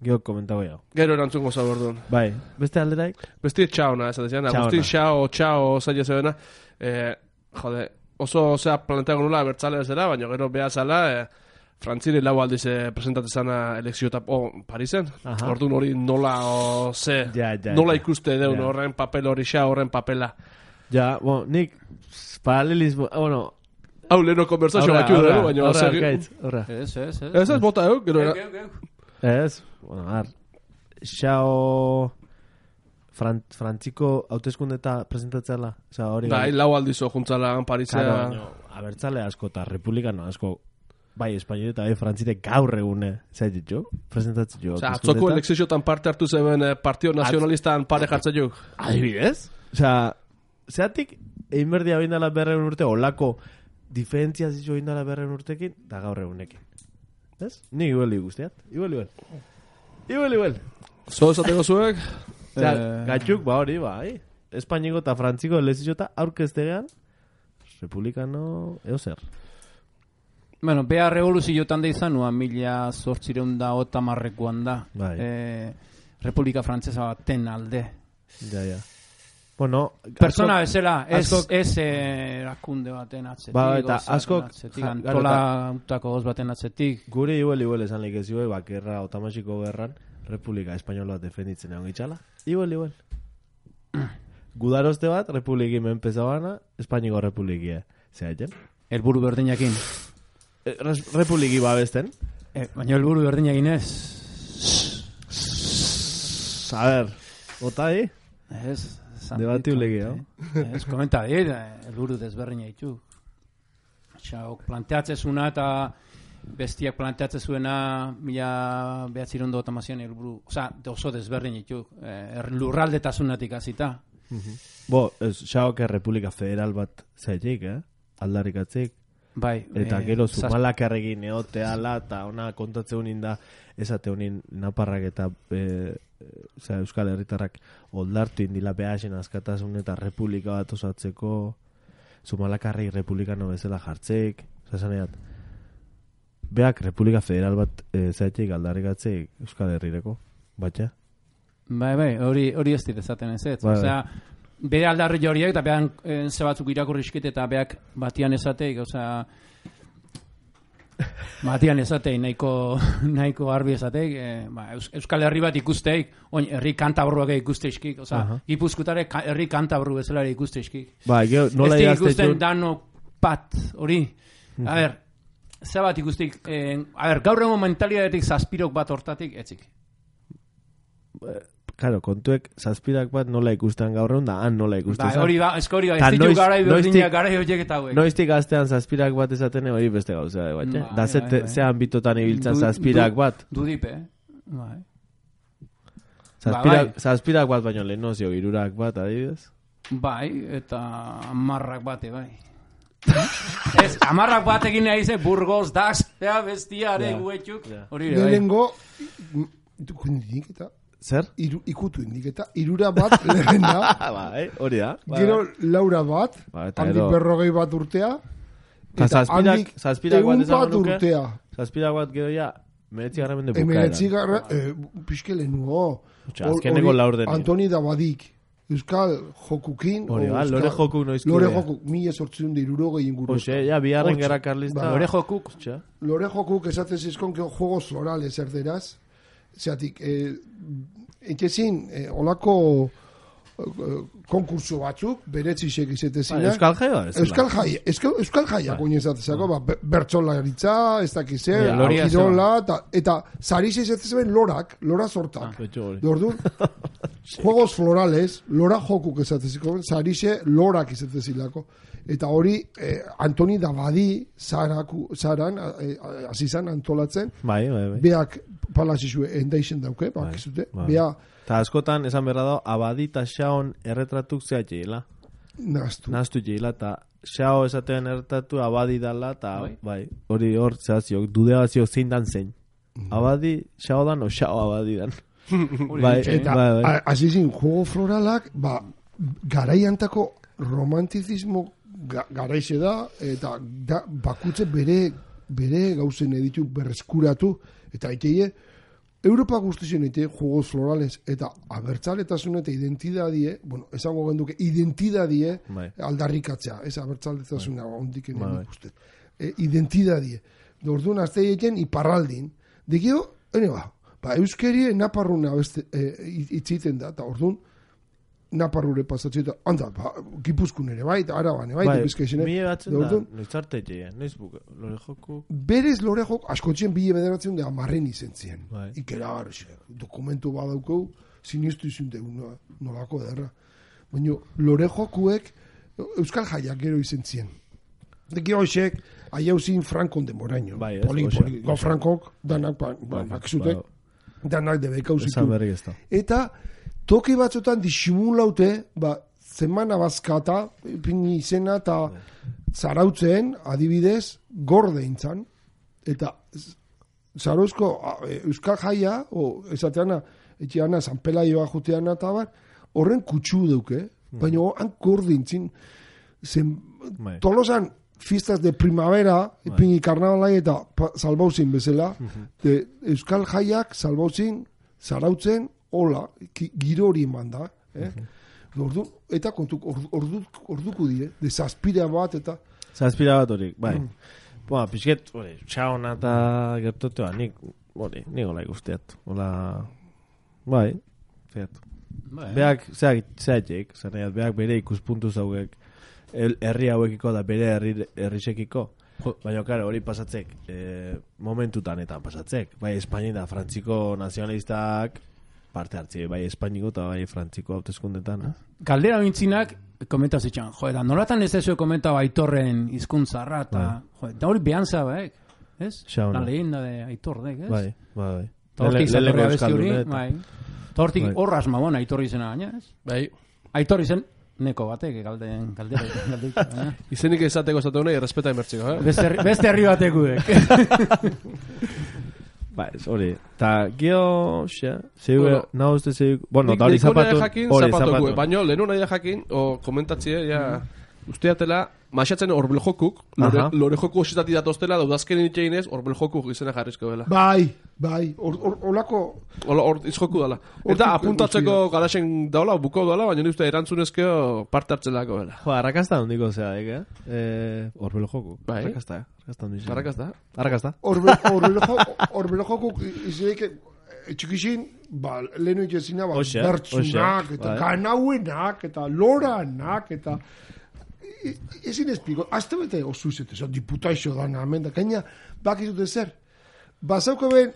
Gio komentago jau. Gero erantzungo zabordun. Bai, beste alderaik? Besti txauna, ez da, Txauna. Agustin Xao, Txao, zaila zebena, eh, jode, oso zea planteago nula bertzale bezala, baina gero beha zala, eh, Frantziri lau aldiz eh, presentatzen zana elekzio eta, oh, Parisen, Aha. orduan hori nola, o, ze, Ja, ja, nola ja. ikuste deun Ja. horren papel hori xa, horren papela. Ja, bueno, nik paralelismo, ah, bueno, Hau leheno konversazio batxu dugu, baina... horra, segi- arkaitz, horra. Ez, ez, ez. Ez ez bota euk, gero... Geu, era- geu, geu. Ez, bueno, ar, xao Fran, frantziko hauteskunde eta presentatzela, oza, hori Bai, lau aldizo juntzala Parisea. Claro, baina, abertzale asko eta republikano asko, bai, espainol eta bai, frantzire gaur egune, zait ditu, presentatzen jo. Osa, atzoko elekziotan parte hartu zeben eh, Partio Nazionalistan pare jartzen juk. Adibidez? Osa, zeatik, egin berdia bindala berreun urte, olako diferentzia zizu bindala berreun urtekin, da gaur egunekin. Ez? Ni igual igusteat, igual, igual. Igual, igual. Zo esateko zuek, Osea, Eh. gatxuk, ba hori, bai. Espainiko eta frantziko elezio eta aurkeztegean, republikano, eo zer. Bueno, bea revoluziotan da izan, nua mila zortzireun da otamarrekoan da. Bai. Eh, Republika Frantzesa baten alde. Ja, ja. Bueno, Persona askok- bezala, ez, askok- ez eh, erakunde baten atzetik. Ba, eta gauza baten askok- atzetik, ja, antola utako goz baten atzetik. Gure igual, igual esan leik ez igual, bakerra otamasiko gerran, Republika Espainola defenditzen egon gitxala. Igual, igual. Gudaroste bat, Republiki menpezabana, Espainiko Republikia. Zer haiten? Elburu berdinakin. E, res- Republiki babesten. Eh, baina elburu berdinakin ez. A ver, ota di? Ez. esan Debatiulegi, ditut, no? eh. Ez, komenta dit, eh, elburu desberdina ditu. Xa, ok, planteatzezuna eta bestiak planteatzen zuena mila behatziehun eta hamasean helburu, osea, oso desberdin ditu, eh, lurraldetasunatik hasita. Bo, ez, xaok Republika Federal bat zaitik, eh? Aldarrikatzik. Bai, Eta eh, gero zaz- zumalakarregin eoteala, eta ona kontatze honin da, esate honin naparrak eta e, e, Euskal Herritarrak oldartu indila behasen askatasun eta republika bat osatzeko, zumalakarrei republikano bezala jartzeik, zasaneat, beak Republika Federal bat e, zaitik aldarrikatzeik Euskal Herrireko, batxa? Bai, bai, hori hori ez dit esaten ez ez. Bai, Osea, bere aldarri horiek eta behan eh, ze batzuk irakurrizkit eta beak batian esateik, osea, batian esateik, nahiko, nahiko arbi esateik, eh, ba, Eus- Euskal Herri bat ikusteik, oin, herri kantabruak ikusteizkik, osea, Aha. Gipuzkutare ka, herri kantabru bezala ikusteizkik. Ba, gero, nola Ez dik idazte ikusten jun- dano pat, hori. A ber, ze bat ikustik, eh, a ber, gaur egun mentalidadetik zazpirok bat hortatik, etzik. Claro, kontuek zazpirak bat nola ikusten gaur egun da, han nola ikusten Bai, zan. hori da, esko hori da, Ta ez ditu noiz- garai noiztik- berdinak garai horiek eta hauek. Noiztik gaztean zazpirak bat esaten hori beste gauza bat, Bai, da ze, bai, bai. ze ambitotan ibiltzen Du- zazpirak du- bat. Dudipe, eh? Bai. Zazpirak, bai. zazpirak bat baino lehenozio, irurak bat, adibidez. Bai, eta amarrak bate, bai. Ez, amarrak bat egin nahi ze, Burgos, Dax, ja, bestiare, Ja. guetxuk, Ja. hori ere, bai. Lehenengo, ikutu indik eta, Zer? iru, ikutu indik eta, irura bat lehen da, Bai, hori da. Bai, gero bai. laura bat, Ba, eta handik gero- berrogei bat urtea, Ta zazpirak- handik zazpirak bat ehun esango bat nuke. urtea. Zazpirak bat gero ja, meretzi garramende bukaeran. Emeretzi garra, eh, pixke lehenuo. Osea, azkeneko laurdenean. Antoni Dabadik, Euskal Jokukin, Hori o ba, Euskal- lore joku noizko. Lore dea. Jokuk, mila sortzun da irurogei inguru. Hoxe, ja, biharren Hortxe. gerra karlista. Ba, Lore jokuk, Osea, Lore Jokuk esaten zizkon que juegos florales erderaz. Zeatik, eh, etxezin, eh, olako eh, konkurso batzuk, beretzisek Ba, izetezina. Euskal Jaioa ez. Euskal Jaia, Euskal, Euskal Jaia goin ezatezako, ba, be- bertsolaritza, ez dakiz zer, Ja, loria kirola, eta, eta zariz izetezben lorak, lora sortak. Betxo hori. Orduan, juegos florales, lora jokuk esateziko, zarixe lorak izetezilako. Eta hori, eh, Antoni Dabadi zaraku, zaran, eh, hasi zan antolatzen, Bai, bai, bai. beak palazizue endaixen dauke, bakizute, bai. bea Ta askotan, esan berra da, abadi eta xaon erretratuk zehatxeila. naztu. Naztu jeila, eta xao esatean erretratu abadi dala, eta Bai. bai, hori hor zehazio, dudegazio zein dan zein. Abadi, xao dan, o xao abadi dan. Bai, Eta bai, bai. a- hasi zin, juego floralak, ba, garaiantako romantizismo ga, garaixe da, eta da, bakutze bere, bere gauzen editu berreskuratu, eta aiteie, Europa guztizien eite juegos florales, eta abertzaletasun eta identidadie, bueno, esango genduke, identidadie Bai. aldarrikatzea, ez abertzaletasuna ondik Bai, enen bai. ikusten. E, identidadie. Orduan azte egiten iparraldin. Dikio, ene ba, ba, euskerie naparruna beste, e, itziten da, eta orduan, naparrure pasatzen, eta handa, ba, Gipuzkoan ere bai, eta Araban ere bai, Bai, eta Bizkaian ere. mila batzen da, Orduan, noiz arte jeia, noiz buka, lore joku. berez lore jok, askotzen bile bederatzen da amarren izen zien. Bai. Ikera garxe, dokumentu badaukau, sinistu izun deun, no, nolako derra. Baina lore jokuek Euskal Jaiak gero izen zien. Deki hoxek, aiau zin Frankon demoraino. Bai, ez, poli, hoxe, poli, go hoxe. Frankok, danak, ba, ba, Bai, bakizute, bai. danak debekau Esan zitu. berri ez da. Eta toki batzutan disimulaute, ba, zemana bazkata, pini izena eta zarautzen, adibidez, gorde intzan. Eta z- zarauzko a, e, Euskal Jaia, o esateana, etxeana, San Pelaioa juteana eta bar, horren kutsu duke, baina han gorde intzin, zen, Bai. tolosan, fiestas de primavera, ipini karnabalai eta pa- salbauzin bezala, de Euskal Jaiak salbauzin, zarautzen, hola, ki- giro hori eman da, eh? Ordu, eta kontu, ordu, ordu, orduko die, de zazpira bat, eta Zazpira bat horik, bai. Boa, pixket, hori, xaona eta gertotea, nik, hori, nik hola ikusteat. Hola, bai, zeat. bai. Beak, zeak, zeatek, zaneiat, beak bere ikuspuntu zauek, el- herri hauekiko da bere herri, herrisekiko. Baina, karo, hori pasatzek, e, momentutanetan pasatzek. Bai, Espainia da, frantziko nazionalistak parte hartzi, bai, Espainiko eta bai, frantziko hauteskundetan. Eh? Galdera bintzinak, komenta zitxan, jo, eta nolatan ez ezue komenta baitorren hizkuntzarra, eta, jo, eta hori behan zabaek. ez? Xauna. La leyenda de Aitor dek, ez? Bai, bai, bai. Ta hortik Lele- zatorrea leleko besti hori, euskaldun, eta- bai. Ta hortik Bai. horraz mamona Aitor izena gaina, ez? Bai. Aitor izen neko batek galden galdera galdeik, baina Izenik izateko esatu honei, errespeta emertziko, eh? beste herri, beste herri batekudek. Ba, ez hori. Ta, gio, xe, zigu, Bueno. nahu uste zigu, bueno, Nik da hori nahiko nahi zapatu, jakin hori zapatuko, zapatu. baina lehenu nahi jakin, o komentatzie, ja, usteatela, maixatzen horbel jokuk, lore, Aha. lore joku ositati datoztela, daudazken itxeinez, horbel jokuk izena jarrizko dela. Bai, bai, or, or, olako... Ola, hor izjoku dela. Hortik Eta apuntatzeko guztia. garaxen daula, buko daula, baina nik uste erantzunezkeo parte hartzelako dela. Jo, arrakasta handiko zea, eh? eh Horbelo joku. Bai. Arrakasta, eh? Arrakasta handiko. Zarrakaz da? Arrakasta. Horbelo jokuk izeik txikixin, ba, lehenu itxezina, ba, Hoxe, bertsunak, hoxe, eta bai. kanauenak, eta loranak, eta... E- Ezin espiko, azte bete osu izete, zo, diputaixo dana, hemen da, gaina, bakizute zer, bazauko ben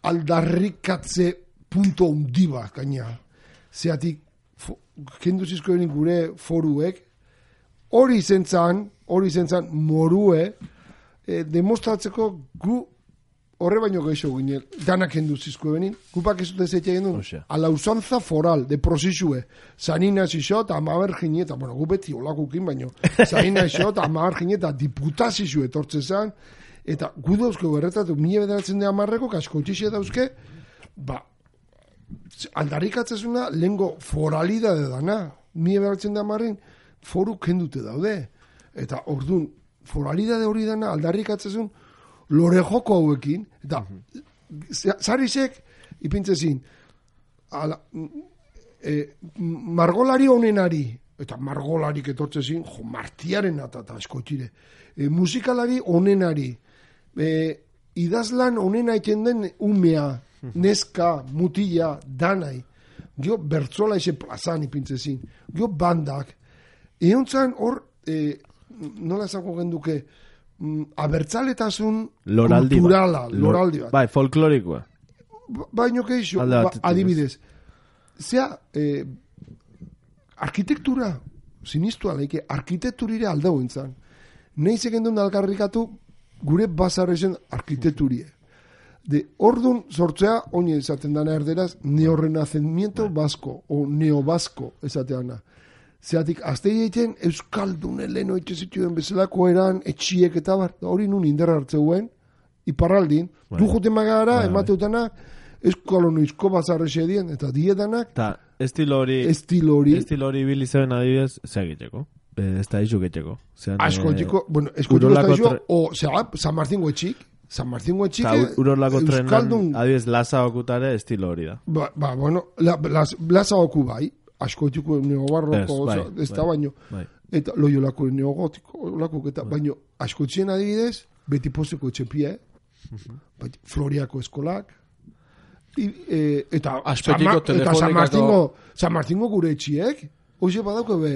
aldarrikatze punto hundi bat, gaina, zeatik, fo, kendu zizko benin gure foruek, hori izentzan, hori izentzan morue, e, demostratzeko gu horre baino gehiago ginen, danak kendu zizko benin, gupak ez dute zeite genuen, Osea. a la usanza foral, de prosizue, zanina zixo, eta amaber jineta, bueno, gu beti olakukin baino, zanina zixo, eta amaber jineta, diputazizue etortze zan, eta gu dauzke berretatu, mila bederatzen de amarreko, kaskotxixe dauzke, ba, aldarrikatzezuna lengo foralidade dana, mila bederatzen de amarren, foru kendute daude, eta ordun foralidade hori dana aldarrikatzezun, lore joko hauekin, eta zarizek, ipintzezin, ala, e, margolari honenari, eta margolarik etortzezin, jo, martiaren eta askotire, e, musikalari honenari, e, idazlan honena iten den umea, neska, mutila, danai, gio bertzola eze plazan ipintzezin, gio bandak, eontzan hor, e, nola esango genduke, mm, abertzaletasun Loraldi bat. kulturala, Lor- loraldi bat. Bai, folklorikoa. Ba- Baino keixo, Alde ba, batetik, adibidez, zea, eh, arkitektura, sinistu aleike, arkitekturire aldau entzan. Neiz egin algarrikatu gure bazarrezen arkitekturie. De ordun sortzea, oine esaten dana erderaz, neorrenacimiento basko, o neobasko esateana. Zeatik, azte egiten Euskaldun eleno etxezituen bezalako eran, etxiek eta bar, hori nun inderra hartzeuen, iparraldin, du joten magara, Bai, bai. emateutana, euskalonoizko bazarrexe dien, eta diedanak, Ta, estilo hori, estilo hori, estilo hori bili zeben adibidez, ze egiteko. Eh, ez da izu getxeko. Zean, asko eh, txiko, bueno, esko txiko Urolako estazio, tre- o, zera, San Martín etxik, San Martín etxik, Ta, urolako trenan, Euskaldun, adibidez, lasa okutare estilo hori da. ba, ba, bueno, la, las, plaza oku bai, asko txiko neobarroko, Ez, bai, oza, ez da bai, baino, bai. eta loiolako neogotiko, olako, eta, baino, asko txien adibidez, beti pozeko etxepie, bai, Floriako eskolak, i, e, eta, Aspetiko San Ma- eta San telefonikako- Martingo, San Martingo gure etxiek, hoxe badauko be,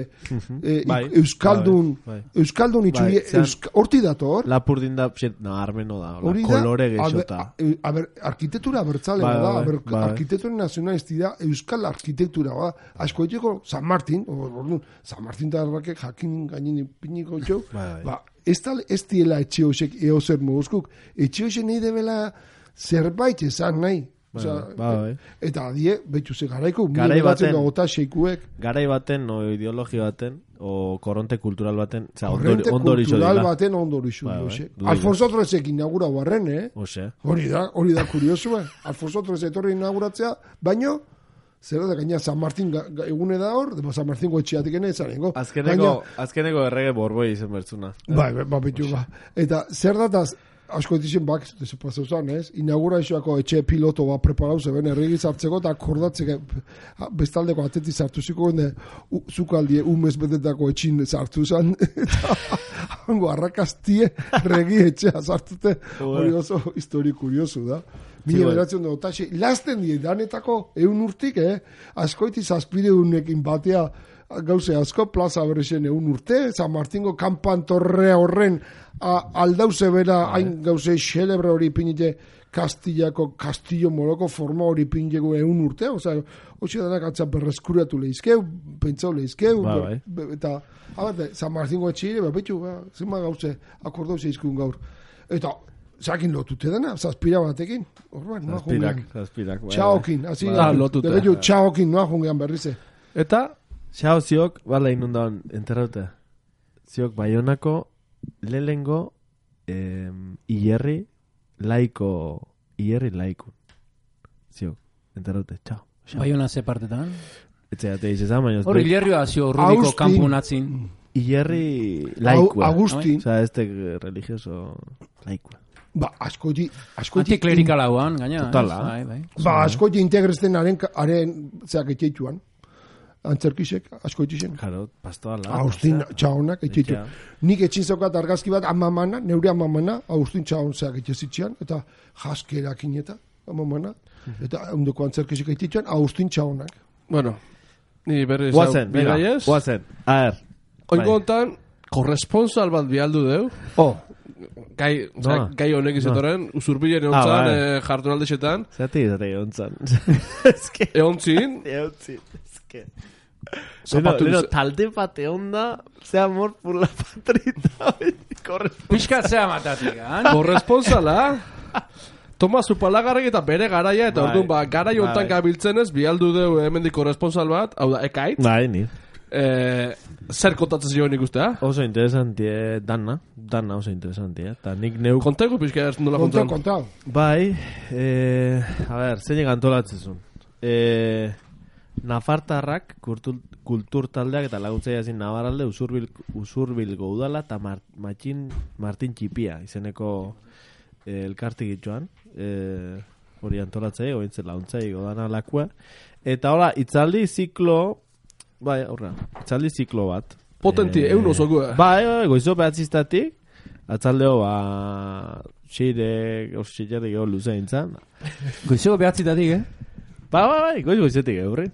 e, Bai, Euskaldun, bai, bai. Euskaldun itxuri, Bai, zean- Euska- horti dator, Lapurdin da, pxet, no, armeno da, hola, hori da, kolore a ber- geixota. a- a ber, arkitektura bertzale Bai, da, bai, a ber, bai. arkitektura nazionalisti da, euskal arkitektura ba, asko etxeko San Martin, o, orduan, San Martin da errakek jakin gainin ipiniko txau, Bai, bai. ba, ez da, ez diela etxe hosek eozer moguzkuk, etxe hosek nahi debela zerbait esan nahi, Bai, Osea, bai, bai. eta die, betxu ze garaiko, Garai baten- gota seikuek, Garai baten, o ideologi baten, o koronte kultural baten, oza, korrente ondori kultural dira. baten ondorixu. Bai, bai, Bai, duela. Alfonso Trezek inaugura barren, eh? Ose, Hori da, hori da kurioso, eh? Alfonso Trez etorri inauguratzea, baino, zer da, gaina San Martin ga, ga, egune da hor, de San Martin goetxeatik ene, zanengo. azkeneko, azkeneko errege borboi izen bertzuna. Bai, bai, bai, bitu, ba. Eta zer dataz, asko etizien bak, ez da pasau zan, ez? Inaugurazioako etxe piloto bat preparau zeben, erregi zartzeko, eta akordatzeko, bestaldeko ateti zartu ziko, gende, zukaldie, umez betetako etxin zartu zan, eta hango arrakastie regi etxea zartute, hori oso histori kurioso da. Mila beratzen dugu, taxe, lasten die, danetako eun urtik, eh? Askoiti zazpideunekin batea, gauze asko, plaza berrexen eun urte, San Martingo kanpantorre horren a, aldauze bera, hain gauze xelebre hori pinite Kastillako, Kastillo Moroko forma hori pinjeko eun urte, oza, hoxe danak atzan berreskuratu lehizkeu, pentsau lehizkeu, Ba, ber- be- eta, abate, San Martingo etxire, ba, betxu, ba, zima gauze, akordau zeizkun gaur. Eta, zakin lotute dena, zazpira batekin. Orban, noa Zazpirak, jungean. zazpirak. bai, Txaokin, hasi. Ah, lotuta. Debe jo, txaokin noa jungean berrize. Eta, Xao ziok, bala inundan, enterraute. Ziok, Baionako, lehengo, eh, Ierri, laiko, Ierri laikun. Ziok, enterraute, txao. Xao. Baiona ze partetan. Etxeate izan, baina... Hor, hilerrioa zio Rubiko Austin. kampunatzin. Ierri laikua. Agustin, O sea, este religioso laikua. ba, askoti, askoti, Antiklerikal hauan, gaina. Totala. ez? Bai, bai. ba, askoti integrezten haren, haren, zeak etxeituan. Antzerkisek, askoitixen. Claro, pastoala. Agustin txaonak etxeitu. Etxea. Nik etxin zaukat argazki bat amamana, neure amamana, Agustin txaon zeak etxezitxean, eta jaskerakin eta amamana, eta ondoko antzerkisek etxeituan, Agustin txaonak. bueno, ni berriz... Guazen, venga, bidaiez. guazen. A ver. Oingo bai. hontan, korresponsal bat bialdu deu. Oh, Gai, osea, Noa? gai honek izatoren, usurbilen egon Ah, zan, bai. eh, jardunaldexetan. zati, zati, ontzan. Ez que... Egon zin, Eutzi, ez que... Zapatu Leno, ze- talde bate onda, ze amor por la patrita, corre. Piskatzea matatik, han? korresponsala, Toma Zupalagarrek eta bere garaia, eta Bai. orduan, ba, garai hontan Bai. gabiltzen ez, bialdu deu hemendik korresponsal bat, hau da, ekait, Bai, ni. eh, zer kontatzen zioen ikustea? Oso interesantie dana, dana oso interesantie, eta nik neuk... Kontaigu pixka ez nola Kontau, kontan. kontau. Bai, eh, a ber, zein antolatzezun. Eh, Nafartarrak, kultur, kultur taldeak eta laguntzaia ezin Navarralde, usurbil, usurbilgo udala eta Mar, Matxin, Martin Txipia, izeneko eh, elkartik itxoan, eh, hori antolatzei, ointzen laguntzai godana lakua. Eta hola, itzaldi ziklo, bai, horra, itzaldi ziklo bat. Potenti, eun osokua. Bai, bai, goizo behatzistatik, atzaldeo, ba, xire, osxillarrik ego luzein zan. Goizeko behatzitatik, eh? Ba, ba, bai, goiz goizetik eurrin.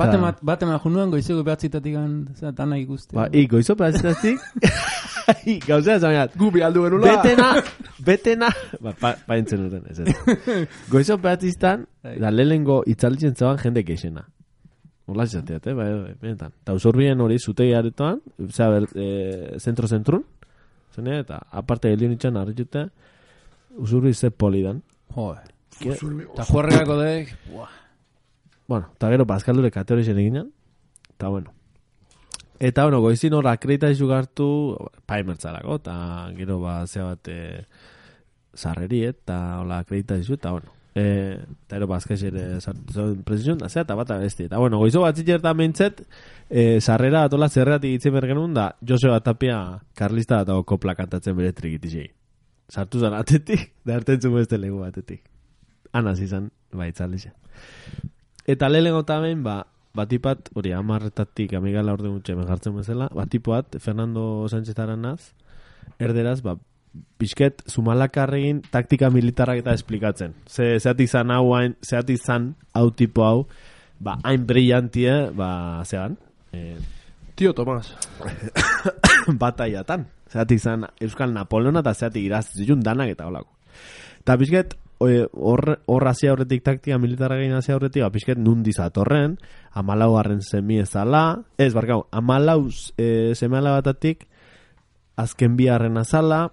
Bate Ta- mat, bate mat junuan goizeko behatzitatik dana ikuste. Ba, i, goizo behatzistatik, i, gauzea zainat, Gu bialdu genula. betena, betena, ba, pa, paintzen duten, ez ez. Goizo behatzistan, da lehenengo itzalditzen zaban jende keixena. Hola izateat, eh, bai, bai, benetan. Ta usurbien hori zutegi aretoan, zera, ber, e, zentro-zentrun, zene, eta aparte helion itxan arritxute, usurbi ze polidan. Joder. Usurbi- Eta juerregako dek, buah. Bueno, eta gero bazkaldure kategorixen eginen, eta bueno. Eta bueno, goizin hor akredita izu gartu, paimertzarako, eta gero ba, zea bat e, sarreri, eta hola akredita izu, eta bueno. E, eta gero bazkaix ere sartu zuen presizion, da zea, eta bat abesti. Eta bueno, goizo bat zitxertan behintzet, e, sarrera atola zerratik itzen bergenun da, Joseba Tapia Karlista eta kopla kantatzen bere trikitixei. Sartu zan atetik, da hartentzun beste legu batetik. Anaz izan, baitzaldixe. Eta lehenengo tamen, ba, batipat, hori amarretatik amigala orde gutxe jartzen bezala, batipoat, Fernando Sánchez Aranaz, erderaz, ba, pixket, Zumalakarregin taktika militarrak eta esplikatzen. Ze, zeat izan hau, hain, zeat izan hau tipo hau, ba, hain brillantie, ba, zean, eh, Tio Tomas. bataiatan. Zeat izan Euskal Napoleona eta zeat irazizun danak eta holako. Eta pixket, hor hor hasia horretik taktika militarra gain hasia horretik, ba, pixket nundi zatorren, amalau garren semi ezala, ez, barkau, amalau e, seme alabatatik, azken biharren azala,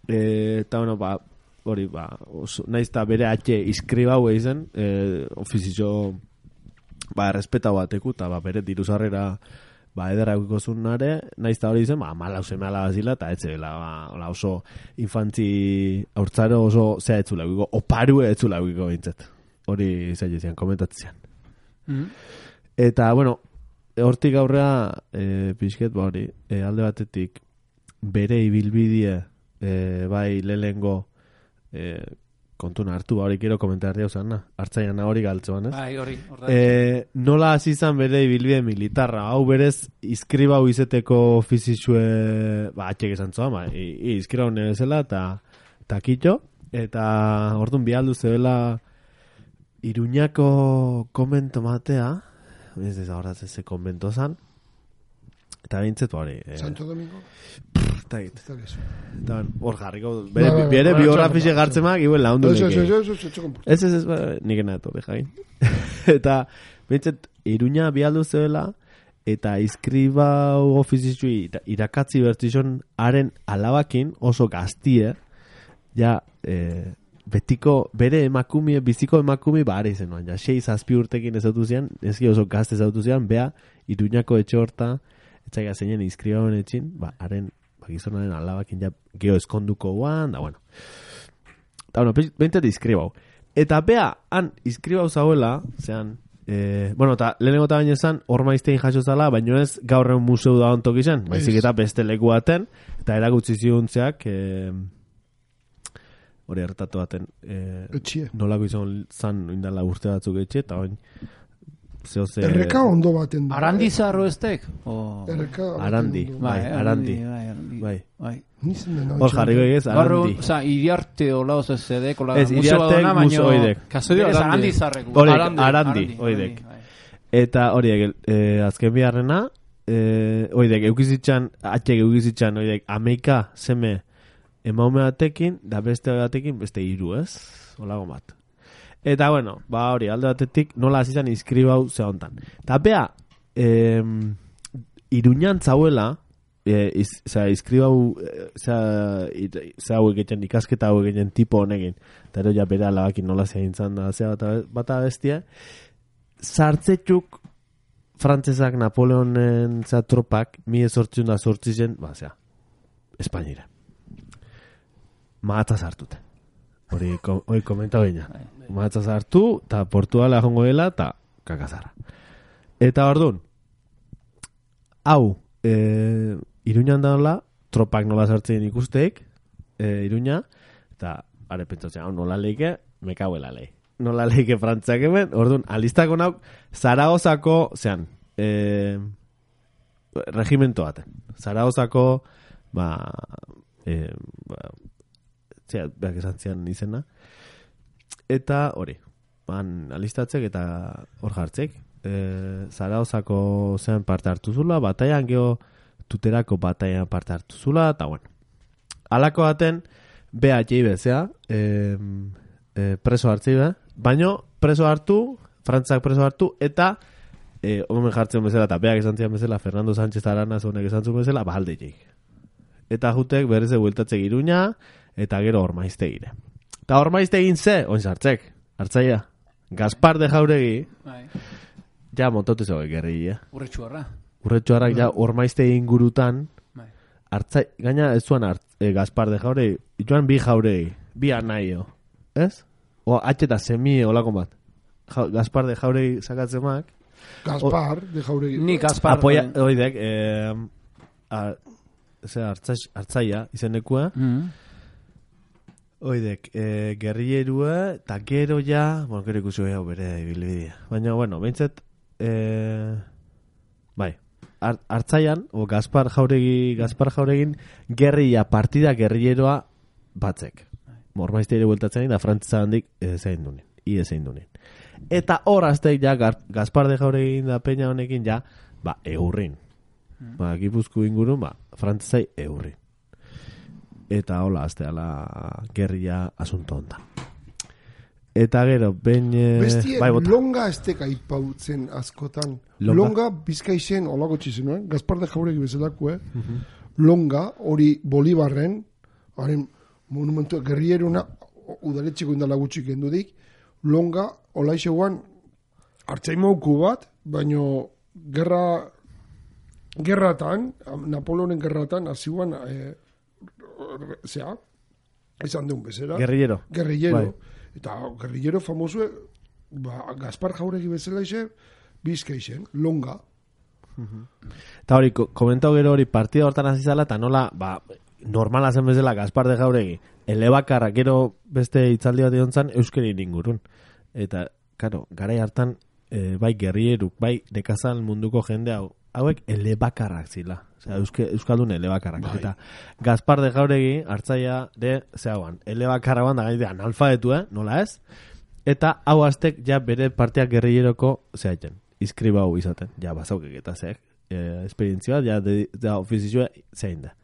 e, eta bueno, ba, hori, ba, oso, naiz eta bere atxe iskribau eizen, e, ofizio, ba, errespeta bateku, eta ba, bere diruzarrera, ba, ederra eukikosunare, naiz eta hori izen, ba, amalau seme alabazila, eta etxe, ba, hola, oso infantzi haurtzaro oso zea etzula eukiko, oparue etzula eukiko bintzat. Hori zailezian, komentatzen. Mhm. Eta, bueno, hortik aurrea, e, pixket, ba hori, e, alde batetik, bere ibilbidie, e, bai lehengo e, kontuna hartu, ba hori kero komentar diau zan, hartzaian hori galtzoan, ez? Bai, hori, horra. E, nola hasi izan bere ibilbide militarra, hau berez izkribau izeteko ofizizue, ba, atxek esan zoa, ba, izkribau nebezela, eta takitxo, eta orduan bialdu zebela Iruñako komento matea, ez ez ahorratzen ze komento zan, eta bintzet hori. E, Santo Domingo. eta git, Ez da gizu. eta ben, hor jarriko, bere, Bai, bai, bere bai, biografixe txoko, gartzemak, iguen laundu Ez, ez, neke. ez, ez, ez, ez, ez, Ez, ez, ez, ba, nik enato, bejain. Eta, bintzet, Iruña bialdu zebela, eta izkriba ofizitxui irakatzi bertizon haren alabakin oso gaztie, ja, eh, betiko, bere emakumie, biziko emakumie, ba, are izen, ja, sei zazpi urtekin ezautu zian, ezki oso gazte ezautu zian, bea, Iruñako etxe horta, etxaila zeinen izkribauen etxin, ba, haren, ba, gizonaren alabakin ja, geho eskonduko guan, da, bueno. Eta, bueno, behintzat izkribau. Eta bea, han, izkribau zauela, zean, eh, bueno, eta lehenengo eta baina esan, ormaiztein jaso zala, baino ez gaur egun museu da ontok izan, baizik eta beste leku baten, eta erakutsi ziuntzeak, eh, hori hartatu baten, eh, nolako izan zan indala urte batzuk etxe, eta oin, Zeoze... Erreka ondo baten du. Arandi zarro estek? Oh. Arandi, bai, arandi. Bai, bai. Hor jarriko egez, arandi. Oza, iriarte hola oso zedek, hola ez, iriarte museo oidek. Kasodio arandi zarrek. Arandi, oidek. Eta horiek, eh, azken biharrena, eh, oidek, eukizitxan, atxek eukizitxan, oidek, ameika zeme emaume batekin, da beste batekin, beste hiru, ez? Olago bat. Eta, bueno, ba hori, alde batetik, nola azizan izkribau ze hontan. Eta, bea, eh, Iruñan zauela, eh, iz, zera, izkribau, zera, zera hauek egiten, ikasketa hauek egiten tipo honekin, eta ero ja bere alabakin nola zehintzan da, zera bat, bat abestia, sartzetxuk frantzesak Napoleonen zera tropak, mi ezortzun da sortzizen, ba, zera, Espainira. Mahatza sartute. Hori, hori komenta baina. Mahatza sartu, eta Portuala jongo dela, eta kakazara. Eta orduan, hau, e, Iruñan daula, tropak nola sartzen ikusteik, e, Iruña, eta are pentsatzen, hau nola leike, mekauela lei. Nola leike frantziak hemen, orduan, alistako nauk, Zaragozako, zean, e, regimento baten. Zaragozako, ba, e, ba, zera, behak esan zian izena, eta hori, ban alistatzek eta hor jartzek, e, Zarauzako zean parte hartu zula, bataian geho tuterako bataian parte hartu zula, eta bueno, alako baten, beha jeibe zea, e, e, preso hartzei be, baino preso hartu, frantzak preso hartu, eta e, omen jartzen bezala, eta beak esan zian bezala, Fernando Sánchez Aranaz honek esan zuen bezala, bahalde jeik. Eta jutek berreze bueltatzek Iruña, eta gero ormaizte gire. Eta ormaizte egin ze, oin sartzek, hartzaia. Gaspar de Jauregi, ja motote zoge gerri, eh? Urretxuarra. Urretxuarrak ja ormaizte ingurutan, hartzai, gaina ez zuan hart, eh, Gaspar de Jauregi, joan bi Jauregi, bi anaio, ez? O atxeta semie olako bat. Ja, Gaspar de Jauregi sakatzemak. Gaspar de Jauregi. Ni Gaspar. Apoia, oidek, eh, a, hartzaia izenekua, mm-hmm. Oidek, e, gerrierua, eta gero ja, bueno, gero ikusi hau bere ibilbidea. Baina, bueno, behintzat, e, bai, hartzaian, o Gaspar Jauregi, Gaspar Jauregin, gerria, partida gerrieroa batzek. Mormaizte ere bueltatzen da, frantzisa handik zein dunin, ide zein dunin. Eta hor azteik ja, Gaspar de Jauregin da peña honekin ja, ba, eurrin. Ba, Gipuzku ingurun, ba, frantzisai eurrin. Eta hola, azte ala gerria asunto honda. Eta gero, ben... Bestie, bai, longa aztek aipautzen askotan. Longa, longa bizkaizen, olako txizen, eh? Gaspar de Jauregi bezalako, eh? Uh-huh. Longa, hori Bolibarren, haren monumentu gerrieruna, udaletxiko indala gutxik endudik, longa, olaixe guan, hartzaimauku bat, baino gerra... Gerratan, Napoleonen gerratan, aziguan, eh, zea, esan deun bezala. Guerrillero. Guerrillero. Bai. Eta guerrillero famosue, ba, Gaspar Jauregi bezala ize, bizkaixen, longa. Uh-huh. Eta hori, komentau gero hori partida hortan azizala, eta nola, ba, normala zen bezala Gaspar de Jauregi, elebakarra, gero beste itzaldi bat diontzan, euskeri ingurun. Eta, karo, garai hartan, e, bai guerrilleruk, bai nekazal munduko jende hau, hauek elebakarrak zila. Osea, euske, euskaldun elebakarrak. Bai. Eta Gaspar de Jauregi hartzaia de zeagoan. Elebakarra da gaite analfabetu, eh? Nola ez? Eta hau aztek ja bere parteak gerrilleroko zehaiten. Izkribau izaten. Ja bazaukek eta zeak. E, esperientzia bat, ja, de, de ofizizua zein da.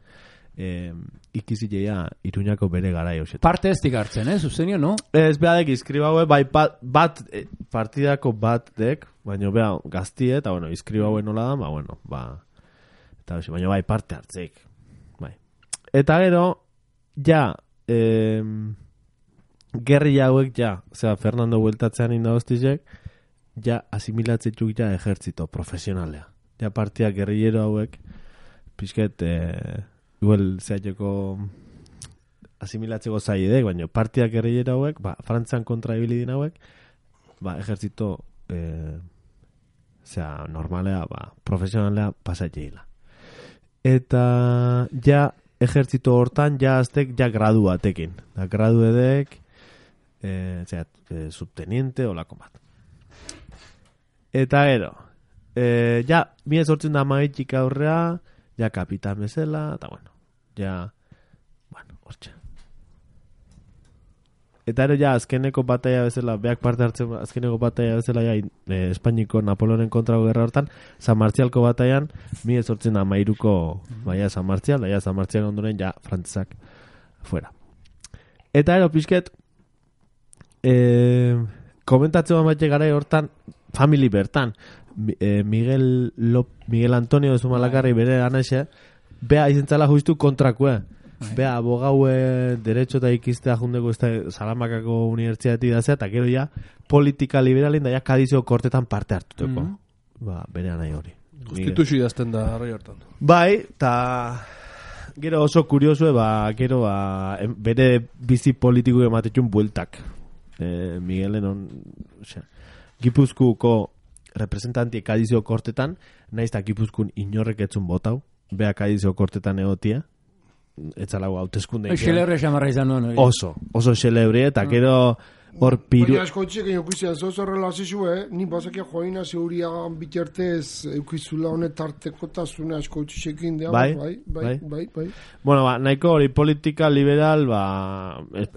E, ikizilea Iruñako bere gara jauzetan. Parte ez hartzen, eh? Zuzenio, no? Ez behadek izkribau, bai bat, bat e, partidako bat dek, baina beha gaztie, eta bueno, izkribauen nola da, ba, bueno, ba, eta baina bai parte hartzeik. Bai. Eta gero, ja, eh, gerri hauek ja, osea, Fernando bueltatzean indagostizek, ja asimilatzetuk ja ejertzito profesionalea. Ja partia gerrillero hauek, pixket, eh, igual zeateko asimilatzeko zaidek, baina partia gerrillero hauek, ba, Frantzan kontra ibilidin hauek, ba, ejertzito, eh, osea, normalea, ba, profesionalea pasatzeila. Eta ja ejertzito hortan ja aztek ja gradu batekin. Da gradu edek eh, zera, eh, subteniente olako bat. Eta gero eh, ja mila sortzen da maitxik aurrea ja kapitan bezala eta bueno ja bueno, hortxe. Eta ero ja azkeneko bataia bezala beak parte hartzen azkeneko bataia bezala ja eh, Espainiko Napoleonen kontrako gerra hortan San Martzialko bataian mila sortzen da mairuko baia San Martzial, baia San Martzial ondoren ja frantzak fuera. Eta ero pixket eh, komentatzen bat gara hortan family bertan eh, Miguel, Lop, Miguel Antonio de Zumalakarri bere anaxe bea izentzala justu kontrakue. Bea, abogaue derecho eta ikistea jundeko Salamakako unibertsiati dazea, eta gero ja politika liberalin da ja Kadizio kortetan parte hartuteko. Mm -hmm. Ba, bere nahi hori. Konstituzio idazten da arrai hortan. Bai, eta gero oso kuriosue, ba, gero ba, em, bere bizi politiko ematetxun bueltak. E, Miguelen on, osea, Gipuzkuko representanti Kadizio kortetan, nahiz eta Gipuzkun inorrek etzun botau, bea Kadizio kortetan egotia, etzalago hauteskunde. Xelebre xamarra izan nuen. Oso, oso xelebre, eta gero hor piru... Baina asko txek, eukizian, zoz horrela azizue, ni bazakia joaina zeuriagan bitxertez eukizula honet artekotasune asko txekin dea, bai, bai, bai, bai, bai. Bueno, ba, nahiko hori politika liberal, ba,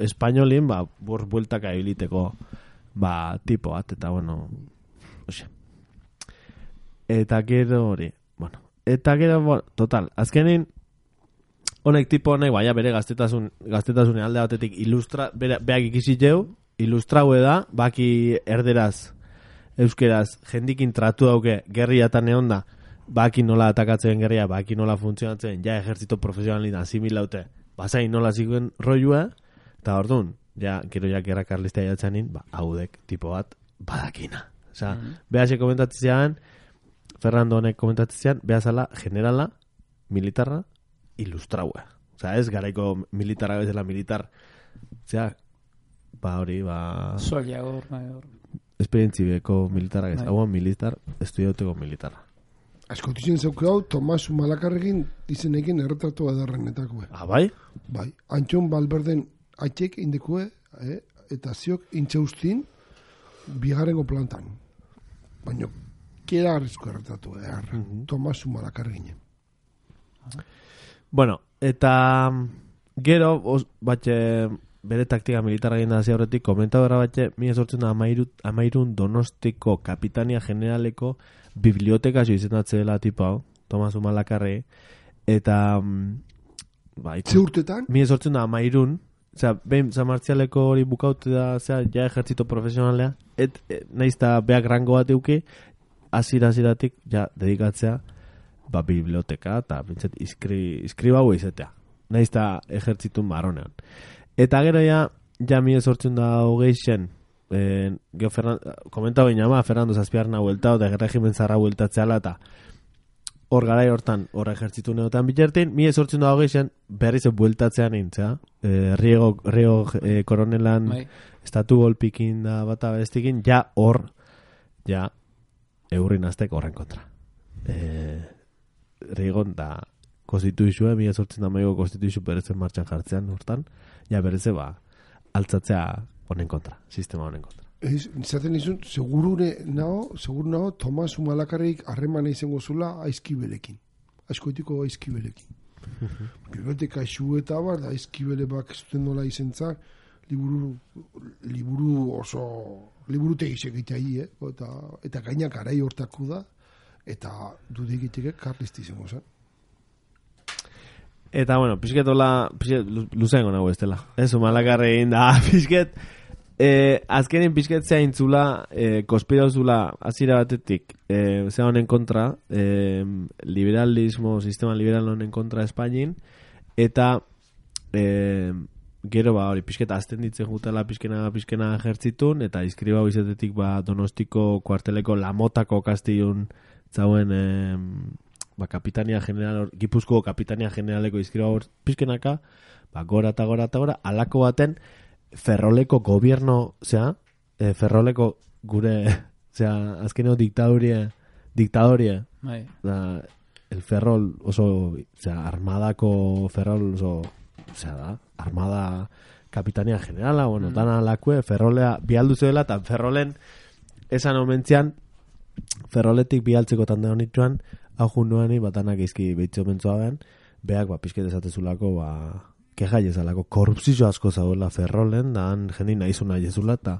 espainolin, ba, bor bueltaka ebiliteko, ba, tipo bat, eta bueno, oxe. Eta gero hori, bueno, eta gero, bueno, total, azkenin, honek tipo honek, baina bere gaztetasun, gaztetasun alde batetik ilustra, bere, beak ikiziteu, ilustraue da, baki erderaz, euskeraz, jendikin tratu dauke, gerriatan egon da, baki nola atakatzen gerria, baki nola funtzionatzen, ja ejertzito profesionalin asimilaute, basain nola zikuen roiua, eta orduan, ja, gero ja gerra karlistea jatzanin, ba, haudek, tipo bat, badakina. Osa, mm-hmm. behase komentatzean, Fernando honek komentatzean, behazala, generala, militarra, ilustraua. Osa, ez garaiko militarra bezala militar. Osea, ba hori, ba... Soldador, mayor. Esperientzibeko militarra ez. Hauan militar, estudiauteko militarra. Asko tizen zeuke hau, Tomas Malakarrekin izenekin erretratu adarrenetako. Ah, bai? Bai. Antxon Balberden atxek indekue, eh? Eta ziok intxeustin bigarrengo plantan. Baina, kera arrizko erretratu behar. Mm-hmm. Tomas Malakarrekin. Bueno, eta gero, os, batxe, bere taktika militarra egin da horretik, komentadora batxe, mila sortzen amairun Donostiko Kapitania Generaleko biblioteka jo izendatze dela tipo hau, Tomas Umalakarre, eta ba, ze urtetan? mila sortzen da amairun, osea, behin zamartzialeko hori bukaute da, osea, ja ejertzito profesionalea, et, et nahizta beak rango bat euki, azira-aziratik, ja, dedikatzea, ba, biblioteka, eta bintzat, iskri, iskriba hau izetea. Nahizta ejertzitun baronean. Eta gero ja, ja mi esortzen da hogeixen, eh, geho Fernando, komentau inama, Fernando Zazpiarna hueltao, da regimen zarra hueltatzeala, eta hor garai hortan, hor ejertzitu neotan bitertin, mi esortzen da hogeixen, berriz bueltatzean intzea, eh, Riego, Riego eh, koronelan, Mai. Estatu golpikin da bata bestikin, ja hor, ja, eurrin aztek horren kontra. Eh, Rigon da konstituizua, mila sortzen da maigo konstituizu berezen martxan jartzean hortan, ja bereze ba, altzatzea honen kontra, sistema honen kontra. Ez, zaten izun, segurune nao, segur nao, Tomas Umalakarrik harremana izango zula aizkibelekin. Aizkoetiko aizkibelekin. Biblioteka isu eta bar, da aizkibele bak zuten nola izentzak, liburu, liburu oso, liburu tegisek itai, eh? eta, eta gainak arai hortaku da, eta dudik iteke karlisti izango zen. Eta, bueno, pixket hola, pixket luzengo nago ez dela. Ez, Umalakarri egin da, pixket, eh, azkenin pixket zea intzula, eh, konspirauzula azira batetik, eh, zea honen kontra, eh, liberalismo, sistema liberal honen kontra Espainin, eta eh, gero ba hori pizketa azten ditzen jutela pizkena pizkena ejertzitun eta inskribau izatetik ba Donostiko kuarteleko Lamotako kastillun zauen eh, ba kapitania general Gipuzkoako kapitania generaleko inskribau pizkenaka ba gora eta gora eta gora alako baten Ferroleko gobierno, osea, eh, Ferroleko gure, osea, azkeneko diktadoria, diktadoria, bai. Da, el Ferrol oso, osea, armadako Ferrol oso, osea, da, armada kapitania generala, bueno, mm. dana lakue, Ferrolea bialdu zuela, eta Ferrolen esan omentzian, Ferroletik bialtzeko tanda honituan, hau junuani, batanak izki behitzo mentzua ben, beak, ba, pizket esatezulako, ba, keja jezalako, korrupzio asko zauela Ferrolen, da han jendi nahizuna jezula, eta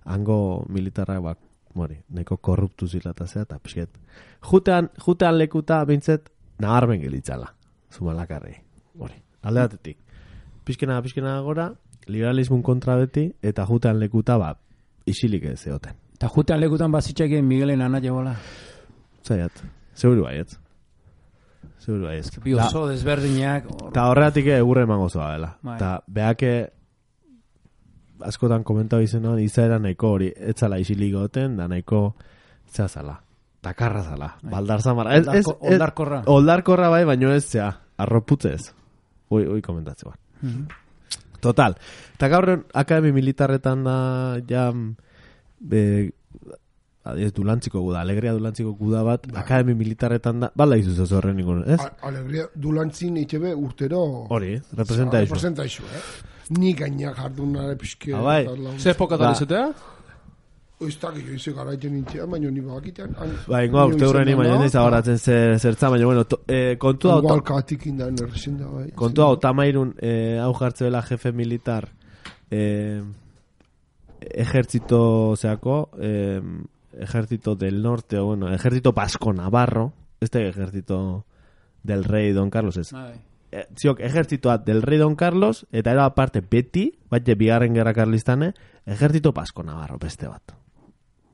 hango militarrak, ba, mori, neko korruptu zila eta zea, eta pizket. Jutean, jutean lekuta, bintzet, nabarmen gelitzala, Zumalakarri, mori, alde batetik. Pizkena, pizkena gora, liberalismun kontra beti, eta jutean lekuta, ba, isilik ez zeoten. Eta jutean lekutan bazitxekin Miguelen ana jegola. Zaiat, seguru baiet. Seguru baiet. Bi oso desberdinak. Eta horregatik egurre emango zoa dela. Bai. Eta beake askotan komentau izan izaera nahiko hori, etzala isilik goten, da nahiko zazala. Dakarra zala. Bai. Baldar zamara. Ez, ez, ez, oldarkorra. Oldarkorra bai, baino ez zea. Arroputzez. Ui, ui komentatze bat. Mm-hmm. Total. Eta gaur akademi militarretan da ja be, adiez dulantziko guda, alegria dulantziko guda bat, Bai. akademi militarretan da, bala izuz ez horren nikon, ez? A- Alegria dulantzin itxebe urtero... Hori, representa iso. Representa iso, eh? Ni gainak jardunare pixke... Ah, bai. Ze epokatan Ba. izatea? Ez da, gio ize garaiten nintzean, baina ni bakitean... Ba, ingoa urte hurreni, baina ez ahoratzen zer, zertza, baina, bueno, to, eh, kontu da, Igual katik indan errezen da, bai. kontu da, otamairun, eh, hau jartzuela jefe militar, eh, ejertzito, zeako, eh, ejército del norte, o bueno, ejército vasco navarro, este ejército del rey Don Carlos es. Bai. Eh, ziok, ejércitoa del rey Don Carlos, eta era aparte beti, baite bigarren gerra karlistane, ejército vasco navarro, beste bat.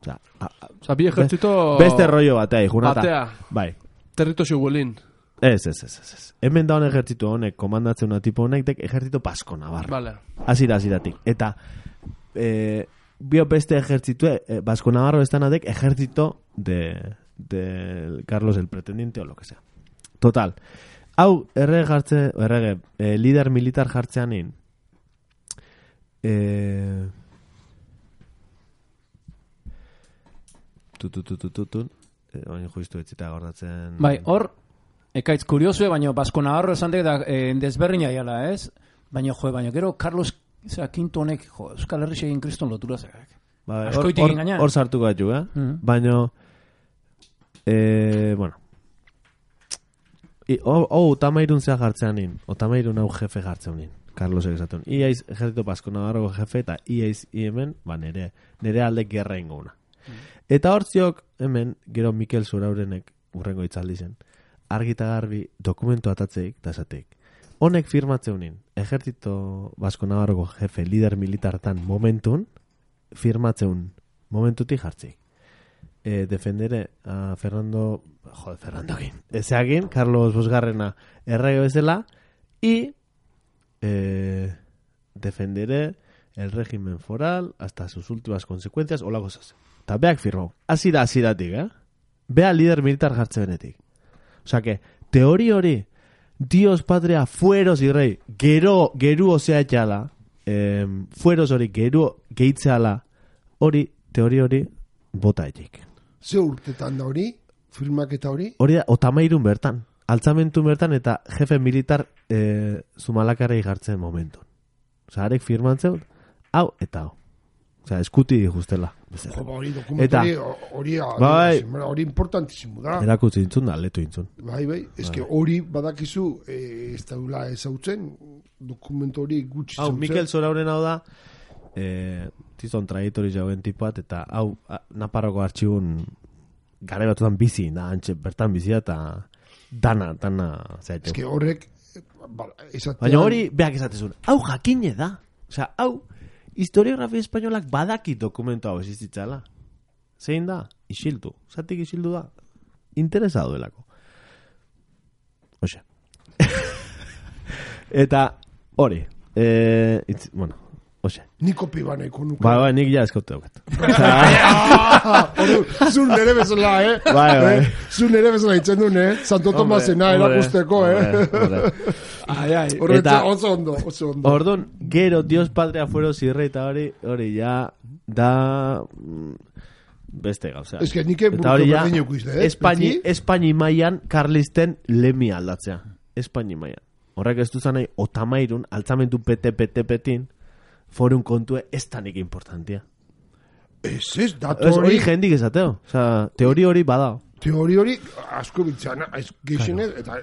Osea, a, a, Osa, bi ejertzito... beste rollo batea, junata. Batea. Bai. Territorio huelin. Ez, ez, ez, ez, ez. Hemen da hon ejército honek, komandatzen una tipo honek, dek ejército vasco navarro. Vale. Azira, aziratik. Eta, eh, bio beste ejército, eh, Vasco Navarro están adek ejército de, de Carlos el pretendiente o lo que sea. Total. Hau, errege jartze, errege, eh, líder militar jartzeanin, eh, tu, tu, tu, tu, tu, tu, eh, oin juistu etxita gordatzen... Bai, hor, ekaitz kuriosue, baina Basko Navarro esan dek da eh, desberdina jala, ez? Baina, jo, baina, gero Carlos Zera, kinto honek, jo, Euskal Herri egin kriston lotura zerak. Ba, hor, Askoitik hor, engaina. hor sartuko gaitu, eh? Mhm. Baina, eh, bueno, I, oh, oh, otamairun zea jartzean nin, otamairun hau jefe jartzean nin, Carlos egizatun. Iaiz, ejército Basko Navarroko jefe, eta iaiz, i hemen, ba, nere, nere alde gerra inguna. Eta hor ziok, hemen, gero Mikel Zuraurenek, urrengo itzaldi zen, argita garbi dokumentu atatzeik, eta esateik. Honek firmatzeunin, ejército Basko Navarroko jefe, lider militartan momentun, firmatzeun momentutik jartzik. Eh, defendere a Fernando, joder, Fernando Guin, ezeagin, Carlos Bosgarrena errege bezala, y eh, defenderé el régimen foral hasta sus últimas consecuencias, hola cosas. Eta beak firmau. Hasi da, hasi datik, eh? Bea lider militar jartze benetik. O sea que, teori hori, Dios, patria, fueros y rey, gero, geru osea etxala, eh, fueros hori, geru gehitzeala, hori, teori hori, bota etxik. Ze urtetan da hori, firmaketa hori? Hori da, otamairun bertan, altzamentu bertan, eta jefe militar eh, Zumalakarrei jartzen momenton. Osa, arek firmantzen, hau eta hau. Osa, eskuti justela. Jo, ba, hori dokumentari, hori Bai. hori importantizimo da. Erakutzi intzun da, letu intzun. Bai, bai, eske hori badakizu, eh, ez daula ezautzen, dokumentu hori gutxi Hau, zautzen. Mikel Zorauren hau da, eh, tizon traiektori jauen tipuat, eta hau, a, Naparroko artxibun gara batutan bizi, da, antxe, bertan bizi eta dana, dana, zaitu. Eske horrek, eh, ba, esatean... Baina hori, beak esatezun, hau jakine da. Osea, hau, historiografia espainolak badaki dokumentu hau existitzala. Zein da? Isildu. Zatik isildu da? Interesado delako. Oxe. Eta, hori, eh, itz, bueno, oxe. Niko piba nahiko nuke. Ba, ba, nik ja eskote daukat. Ordu, zu nere bezala, eh? Bai, bai. Eh? Zu nere bezala itzen duen, eh? Santo Tomasena erakusteko, eh? Ai, ai. Horretza, Eta- oso ondo, oso ondo. Orduan, gero, Dios Patria fuero zirre eta hori, hori ja, da... mm, beste gauza. Ez que nike Eta hori buruko ja, berdin eukizte, eh? Espaini, Beti? Espaini mailan Karlisten lemi aldatzea. Espaini mailan. Horrek ez duzan nahi, otamairun, altzamentu pete pete petin, forun kontue ez tanik importantia. Ez ez, datu Ez hori hori, jendik esateo. Osa, teori hori bada. teori hori asko biltzana, ez geixenez, eta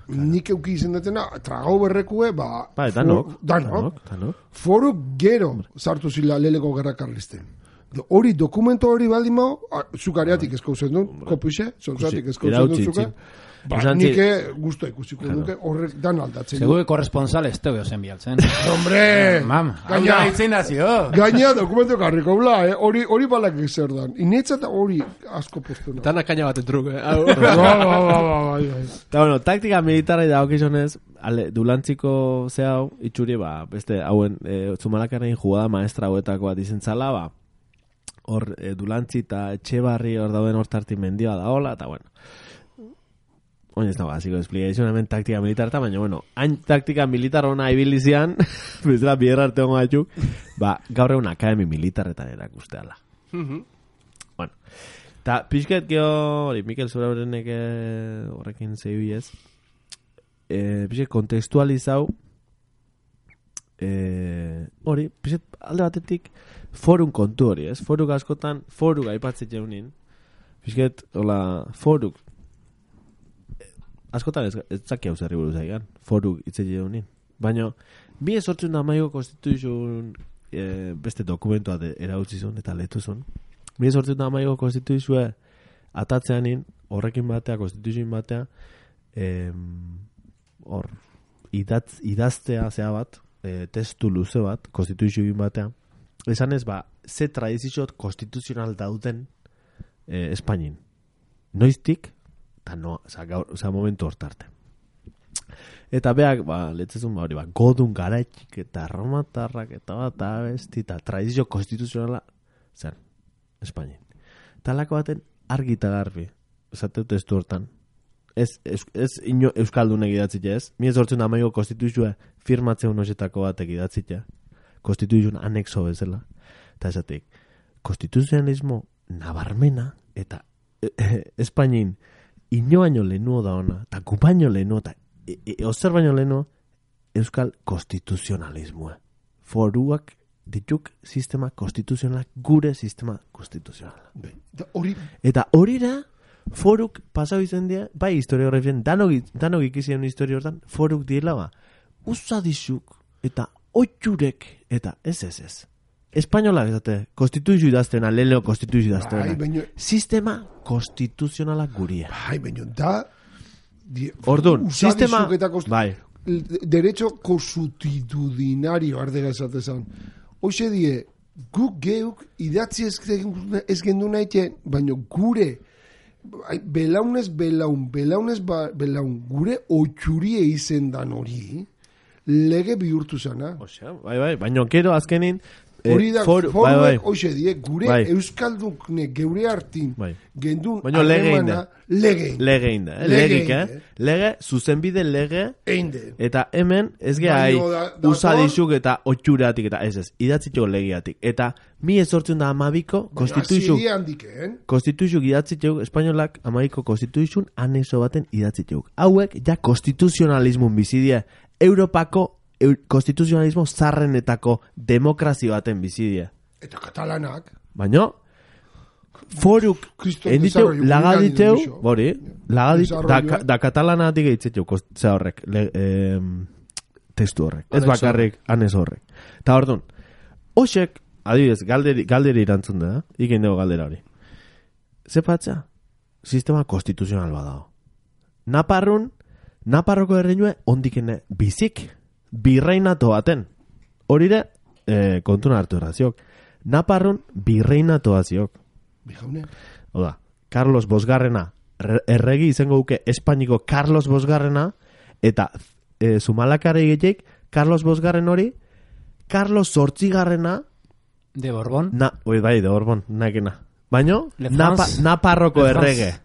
nik euki izen detena, tragau berrekue, ba... Ba, for- danok. Danok. danok. Foru gero sartu zila leleko gerra karlisten. Do- Hori, dokumento hori baldin mao, zukareatik eskauzen duen, kopixe, zontzatik eskauzen duen irautzi, zuka. itzi. Ba, Esan zi- nike guztu ikusiko nuke, horrek dan aldatzen. Segure korresponsal ez teo zen bialtzen. Hombre! Mam, Gaina- gaina itzen nazio. Gaina dokumento karriko bla, eh? Hori, hori balak zer dan. Inetza eta hori asko postu na. Dana kaina baten truk, eh? Hau. Ba, ba, ba, ba, ba, ba. Eta bueno, taktika militarra dagokizonez, ale, dulantziko ze hau, itxuri, ba, beste, hauen, e, Zumalakaren jugada maestra hauetako bat izen zala, ba, hor, e, dulantzi eta etxe barri hor dauden hortarti mendioa da hola, eta bueno. Oin ez dago, hasiko explikazioa hemen taktika militar eta, baina, bueno, hain taktika militar ona ibilizian, bezala biherra arte hongo batzuk, ba, gaur egun akademi militarretan erakusteala. Bueno, eta pixket geho, hori, Mikel Zuraurenek eh, horrekin zebi ez, eh, pixket kontekstualizau, eh, hori, pixket alde batetik, forun kontu hori, ez? Foruk askotan, foruk aipatzet jaunin, pixket, hola, foruk, askotan ez, ez zaki hau zerri buruz aigan, foruk itze jaunin. Baina, mi esortzen da maiko konstituzioen e, beste dokumentua de, erautzizun eta letuzun. Mi esortzen da maiko konstituzioa atatzeanin, horrekin batea, konstituzioin batea, em, hor, idatz, idaztea zea bat, e, testu luze bat, konstituzioin batea, esan ez, ba, ze tradizio konstituzional dauden e, Espainin. Noiztik, eta no, oza, gaur, oza, momentu hortarte. Eta beak, ba, letzezun, ba, hori, ba, godun garaitxik eta romatarrak eta bat abesti eta tradizio konstituzionala zen, Espainin. Talako baten argi eta garbi, esate dut testu hortan. Ez, ez, ez ino euskaldunek idatzite ez, mi ez hortzen amaiko konstituzioa firmatzeun osetako batek idatzite, konstituzioan anexo bezala. Eta esatik, konstituzionalismo nabarmena eta e, e, Espainin ino baino lehenuo da ona, eta gu baino lehenuo, eta e, e, ozer baino lehenuo, euskal konstituzionalismoa. Foruak dituk sistema konstituzionalak, gure sistema konstituzionala. Da, Hori, Eta horira, foruk pasau izan dira, bai historiografien, danok, danok ikizien historio hortan, foruk diela ba, usadizuk, eta oitxurek, eta ez ez ez. Espainolak ezate, konstituzio idaztena, leheno konstituzio bai, idaztena. baino, Sistema konstituzionala guria. bai, baino, da... di- Orduan, usadizuk sistema... eta kost- Bai, l- derecho constitucionario ardera esatezan. Hoxe die, guk geuk idatzi ez, gen- ez gendu nahi, baino gure ai, belaunez belaun, belaunez ba, belaun, gure otxurie izen dan hori, lege bihurtu zana. osea, bai, bai, baina gero azkenin... eh, Hori da, for- foruek, bai, bai. hoxe die, gure Bai. euskaldukne geure hartin, Bai. gendun Baina lege harremana, lege egin. Lege inda, eh? Lege Legik, eh? egin, Lege, zuzenbide lege, Einde. eta hemen ez geha Baino da- dator- usadizuk eta otxuratik eta ez ez, idatzitxo legiatik. Eta mi ezortzen da amabiko, konstituzio, Hasi handiken. konstituzio idatzitxeuk, espainolak amabiko konstituzioen aneso baten idatzitxeuk. Hauek ja konstituzionalismun bizidie, Europako eu, konstituzionalismo zarrenetako demokrazio baten bizidie. Eta katalanak. Baina, foruk, Kriston enditeu, desarrollo lagaditeu, comunitario, bori, lagadit, da, Desarrolloa. da katalanatik eitziteu, ze horrek, le, em, testu horrek, ez Anexo bakarrik, anez horrek. Eta ordun, hoxek, adibidez, galderi, galderi irantzun da, ikin dugu galdera hori. Zepatza, sistema konstituzional badao. Naparrun, Naparroko erreinue ondikene bizik, birreinato baten. Horire, eh, kontuna hartu erraziok. Naparrun birreinato ziok. Bijaune. Oda, Carlos Bosgarrena, re- erregi izango duke Espainiko Carlos Bosgarrena, eta e, Zumalakare gehiek Carlos bosgarren hori, Carlos zortzigarrena, De Borbón. na, oi, bai, de Borbón, nakena. Baino, Le napa, France. Naparroko Le France. errege.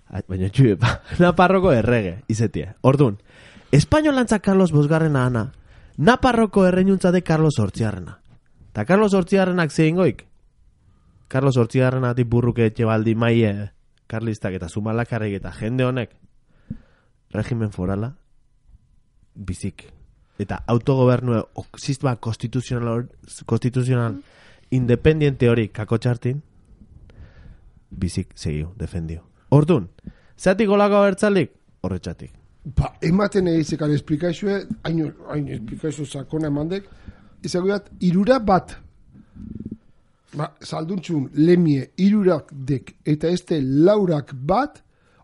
Ai, baina txuepa, Naparroko errege, izetie. Ordun, espainolantza Carlos bosgarrena ana, Naparroko erreinuntza de Carlos zortzigarrena. Ta Carlos zortzigarrenak zein goik? Carlos zortzigarrena burruke etxe baldi maie, karlistak eta zumalakarrik eta jende honek, regimen forala, bizik. Eta autogobernu sistema konstituzional, konstituzional independiente hori kakotxartin, bizik segiu, defendio. Ordun, zeatik golako abertzalik? Horretxatik. Ba, ematen egizekar esplikaizue, hain, hain esplikaizue sakona emandek, izagoiat, irura bat, ba, salduntxun, lemie, irurak dek, eta este laurak bat,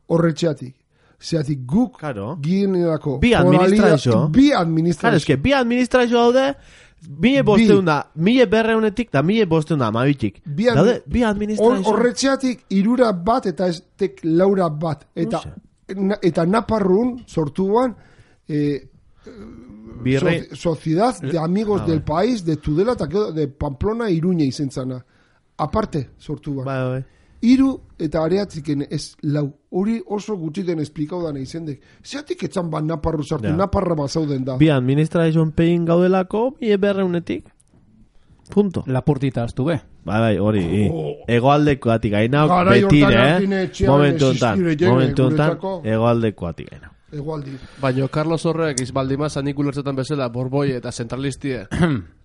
horretxeatik. Zeatik guk, Claro. gienelako, Bi administrazio. Bi Claro, administrazio. eske, bi administrazio daude, mile bosteun da, mile berreunetik, da mile bosteun da, amabitik. Bi ad- Daude, bi Hor- administrazio. Horretxeatik irura bat eta ez tek laura bat. Eta, Uxe. na, eta Naparrun sortuan eh, Birre, so- Sociedad de Amigos Ah, del bai. País de Tudela eta gero de Pamplona Iruña izen zana. Aparte sortuan. bai, bai. Hiru eta areatziken ez lau. Hori oso gutxiten esplikau dana izendek. Zeatik etzan ba Naparru sartu, Ja. Naparra bazauden da. Bi administrazioen pegin gaudelako, mile berreunetik. Punto. Lapurtita astu be. Bai, bai, hori. i. Oh. Hegoaldekoatik gainau, Garai hortan betire, Artine eh? etxean Momentu honetan, existire jene momentu honetan, guretzako. hegoaldekoatik gainau. Egualdi. Baina Carlos horrek izbaldima zanik ulertzetan bezala borboi eta zentralistie.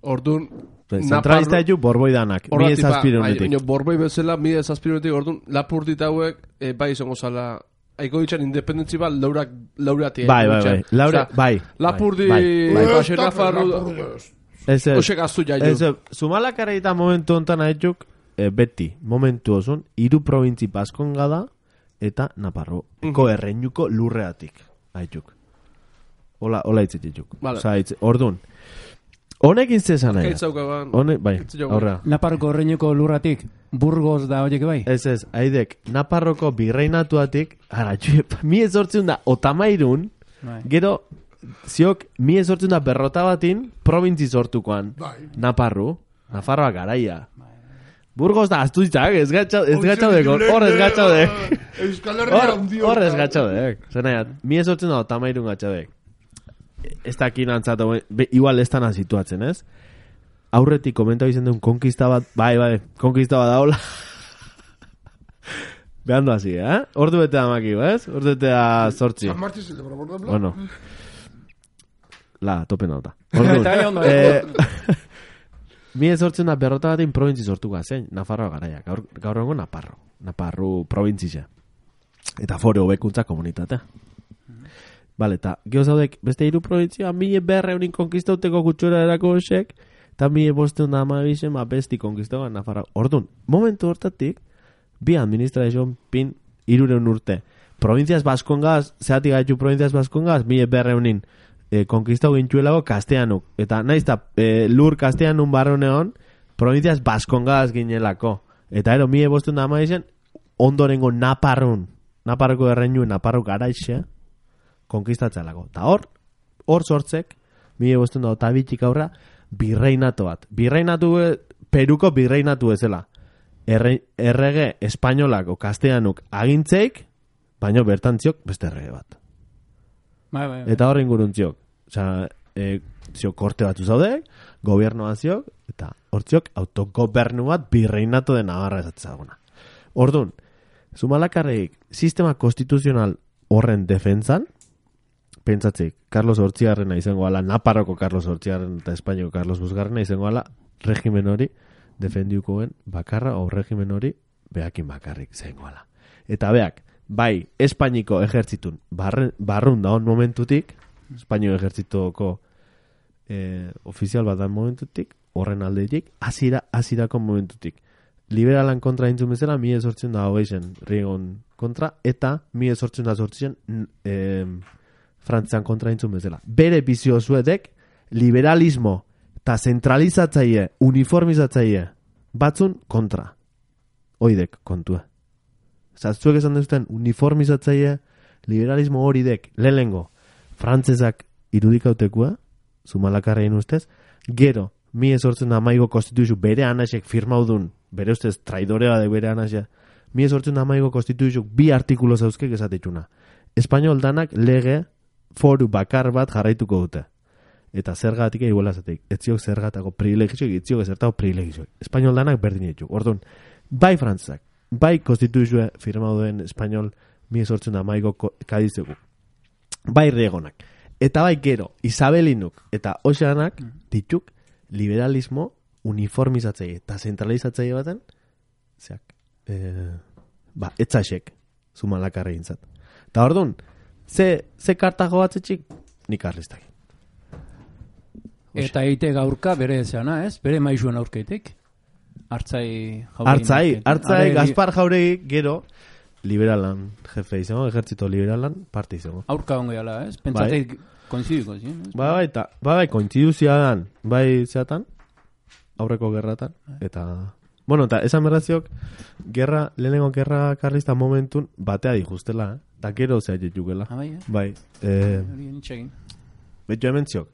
Ordun Zentralista ditu borboidanak, mila Horratik, ba, bai, zazpirunetik. baina borboi bezala mila zazpirunetik ordun lapurtita hauek eh, bai izango zala aiko ditxan independentzi bat laurak lauratik. Bai, bai, bai. Laure, bai. Lapurdi, bai, bai. Baxe Nafarro, Ez, ez. Oxe gaztu jaio. Ez, ez. Zumalakara eta momentu honetan haitxuk, e, beti, momentu osun, hiru probintzi Baskonga da, eta Naparro. Eko erreinuko lurreatik, haitxuk. Ola, ola hitz dituk. Vale. Osa, hitz, ordun. Honekin zezan nahi. Kaitzaukaban. Hone, bai, Hitz jogu. aurra. Naparroko erreinuko lurratik, Burgos da horiek bai. Ez, ez, haidek, Naparroko birreinatuatik, ara, txuep, mi ezortzen da, otamairun, Bai. gero, ziok, mi ezortzen da berrota batin, probintzi sortukoan. Bai. Naparru, Nafarroa garaia. Burgos da, astuitzak, ez gatxa, ez gatxaudeko, hor ez gatxaudek. Euskal Herria Hor, handi hor ez hortan. gatxaudek. Zenaiat, mi ezortzen da, otamairun gatxaudek. Ez dakin antzatu, be, igual ez tana situatzen, ez? Aurretik komentau izan duen konkista bat, bai, bai, konkista bat daula. Behando hasi, eh? Ordu bete da makio, ez? Ordu bete da sortzi. San Martín se le por ejemplo. Bueno. La, tope nota. Eta gai ondo. eh, mi ezortzen da berrota batin probintzi sortuko zein, Nafarroa garaia. Gaur, gaur egun Naparro. Naparru probintzia. Eta fore hobekuntza komunitatea. Vale, eta geho zaudek, beste hiru probintzia, mila berreunin konkistauteko gutxura erako esek, eta mila bosteun da amabixen, ba, besti konkistauan Nafarroa. Ordun, momentu hortatik, bi administrazioan pin irureun urte. Provintziaz Baskongaz, zeatik gaitu Provintziaz Baskongaz, mila berreunin e, konkistau gintxuelago Kasteanuk. Eta naiz eta e, lur Kasteanun barroneon, Provintziaz Baskongaz ginelako. Eta ero, mila bosteun da amabixen, ondorengo Naparrun, Naparroko erreinu, Naparro garaixe, konkistatzelako. Ta hor, hor sortzek, mila bosteun da otabitik aurra, birreinatu bat. Birreinatu, e, Peruko birreinatu ezela. Erre, errege espainolako kasteanuk agintzeik, baino bertantziok beste errege bat. Bai, bai, bai. Eta horren guruntziok. Osa, e, ziok korte batzu zaudek, gobiernoa ziok, eta hortziok autogobernu bat birreinatu de Navarra esatzaguna. Ordun, Zumalakarreik sistema konstituzional horren defentzan, pentsatzik, Carlos Hortzigarrena izango ala, Naparroko Carlos Hortzigarrena eta Espainiako Carlos Bosgarrena izango ala, regimen hori defendiukoen bakarra o regimen hori behakin bakarrik zengo ala. Eta beak, bai, Espainiko ejertzitun barren, barrun daun momentutik, Espainio ejertzituko eh, ofizial bat dan momentutik, horren aldetik, azira, azirako momentutik. Liberalan kontra intzun bezala, mi esortzen da hogeizen Rigon kontra, eta mi esortzen da sortzen eh, Frantzian kontra intzun bezala. Bere bizio zuetek, liberalismo eta zentralizatzaile, uniformizatzaile batzun kontra. Oidek kontua. Zaztuek esan duzten uniformizatzaile, liberalismo hori dek, lehenengo, frantzesak irudikautekua, Zumalakarrein ustez, gero, mi esortzen amaigo konstituzio bere anasek firmaudun, bere ustez traidorea de bere anasek, mi esortzen amaigo konstituzio bi artikulo zauzkek esatetxuna. Espainol danak lege foru bakar bat jarraituko dute. Eta zergatik iguala zatek, etziok zergatako privilegizioak, etziok zertako privilegizioak. Espainol danak berdin ditu. Orduan, bai frantzak, bai konstituzioa firmauduen espainol mi esortzen amaigo kadizeko. Bai regonak. Eta bai gero, Isabelinuk eta Oxanak dituk liberalismo uniformizatzaile eta zentralizatzaile baten, zeak, e, ba, etzaxek, Zumalakarreintzat. Eta orduan, ze, ze kartago batzetxik, nik karlistak. Eta eite gaurka bere zeana, ez? Bere maizuen aurkeitik. Artzai jauregi. Artzai, artzai, Gaspar jauregi, gero, liberalan, jefe izango, ejertzito liberalan, parte izango. Aurka ongo jala, ez? Pentsateik koinzidiko, zin? Ba, bai, eta, ba, bai, kointziduzia dan, bai zeatan, aurreko gerratan, eta, bueno, eta esan berraziok, gerra, lehenengo gerra karlista momentun, batea dijustela, eh? Eta gero zea jetukela. Ah, bai, eh? Bai, eh, Hori nitxegin. betu hemen ziok,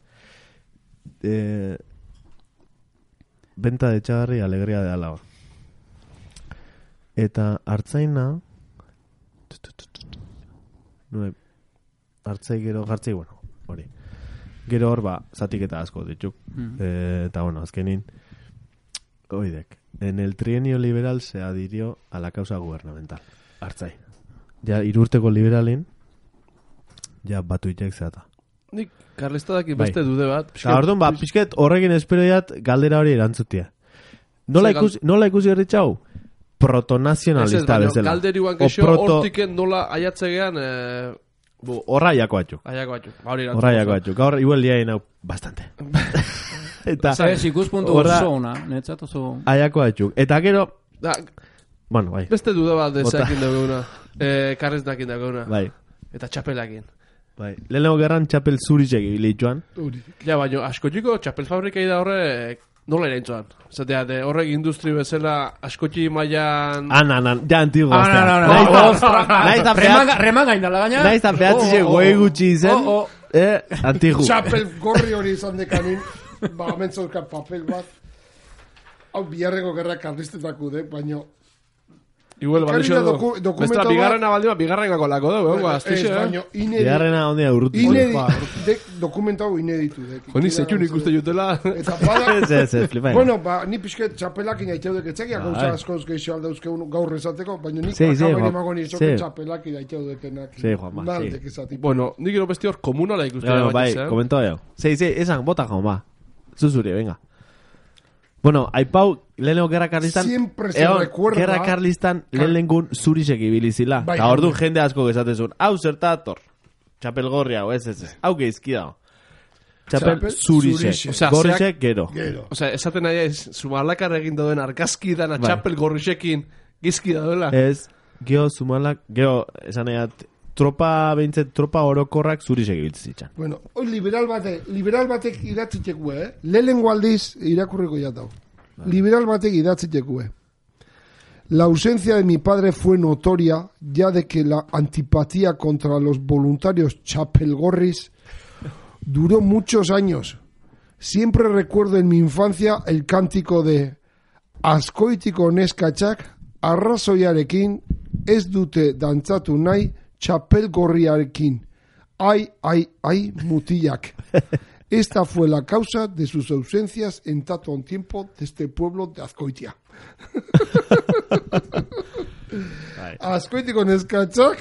eh, benta de txagarri, alegria de alaba. Eta hartzaina, no, hartzai gero, hartzai, bueno, hori. Gero hor, ba, zatiketa asko dituk. Mm. Eh, eta, bueno, azkenin, oidek, en el trienio liberal se adhirió a la causa gubernamental. Hartzai. Ja, irurteko liberalin, ja, batu itek zeata. Nik karlistadak beste dude bat. Eta, orduan, ba, pixket horrekin esperoiat galdera hori erantzutia. Nola Ze ikusi, nola ikusi herritxau? Protonazionalista bezala. Galderiuan O kexo, proto- hortiken nola aiatzegean, eh, bu, Horra jako atxuk. aiako batxuk. Hori Horra jako atxuk. Gaur, igual liain hau, bastante. Eta, Ez, ikuspuntu horra- oso ona, netzat oso... aiako atxuk. Eta gero, Da, bueno, bai, beste duda bat Bota. dezakin dagoena. Eh, karrezdakin dagoena. bai, Eta txapelakin. bai. Lehenengo gerran txapel zurizek ibili joan. Hori. Ja, baino, askotxiko txapel fabrikai da horre nola eraintzoan. Zatea, de horrek industri bezala askotxi mailan... An, an, an, ja antigo. Ah, no, no, no. Naiz Oh, eta- naiz eta Remanga, pehatzi- remanga indala gaina. naiz eta pehatzi Oh, oh, goe oh. gutxi izen, Oh, oh. eh, antigu. Txapel gorri hori izan dekanin, ba, mentzolka papel bat. Hau biharreko gerra karlistetako de, baino... Igual, Ekarri balixo da du. doku- dokumento Bestra, bat- bigarrena baldima, bigarrenako lako dugu, eh? Ez, Aztixe, eh? baino, inedi... Bigarrena ondia urrutu. Inedi... Ba, dek dokumento hau ineditu dek. Joni zetxun ikuste jutela. Eta bada... Ez, ez, ez, flipa. Bueno, ba, ni pixket txapelakin aiteudek etzekia, Bai. gauza askoz geixo aldauzkeun gaur esateko, baina nik Sí, sí, akabain Juan. emago Sí. nizoke txapelakin aiteudekenak. Sí, Juanma, sí. Maldek esati. Bueno, nik gero besti hor komunala ikuste Bueno, da bai, batez, eh? komentau jau. Sei, sei, esan, bota jaun, ba. Zuzuri, venga. Bueno, aipau, lehenengo gerra karlistan... Siempre se egon, recuerda- Gerra karlistan lehenengun zurizek ibilizila. Bai, Eta ordu bai. jende asko gesatezun. Hau zertator. Txapelgorri hau, ez, ez, ez. Hau geizki dago. Txapel Txapel zurizek. zurizek. Osea, Gorrizek gero. Gero. Osea, esaten nahi ez, zumalakar egin dauden argazki dana Bai. txapel gorrixekin gizki daudela. Ez, geho zumalak, geho, esan nahiat, tropa, behintzet, tropa orokorrak zurizek ibiltzitzan. Bueno, hoi liberal batek, liberal batek idatziteko, eh? Lehenengo aldiz irakurriko jatau. Liberal batek idatziteko, eh? La ausencia de mi padre fue notoria ya de que la antipatía contra los voluntarios chapelgorris duró muchos años. Siempre recuerdo en mi infancia el cántico de Azkoitiko neskatxak arrazoiarekin ez dute dantzatu nahi txapelgorriarekin. Ai, ai, ai, mutilak. Esta fue la causa de sus ausencias en tanto un tiempo de este pueblo de Azkoitia. Azkoitiko neskatxak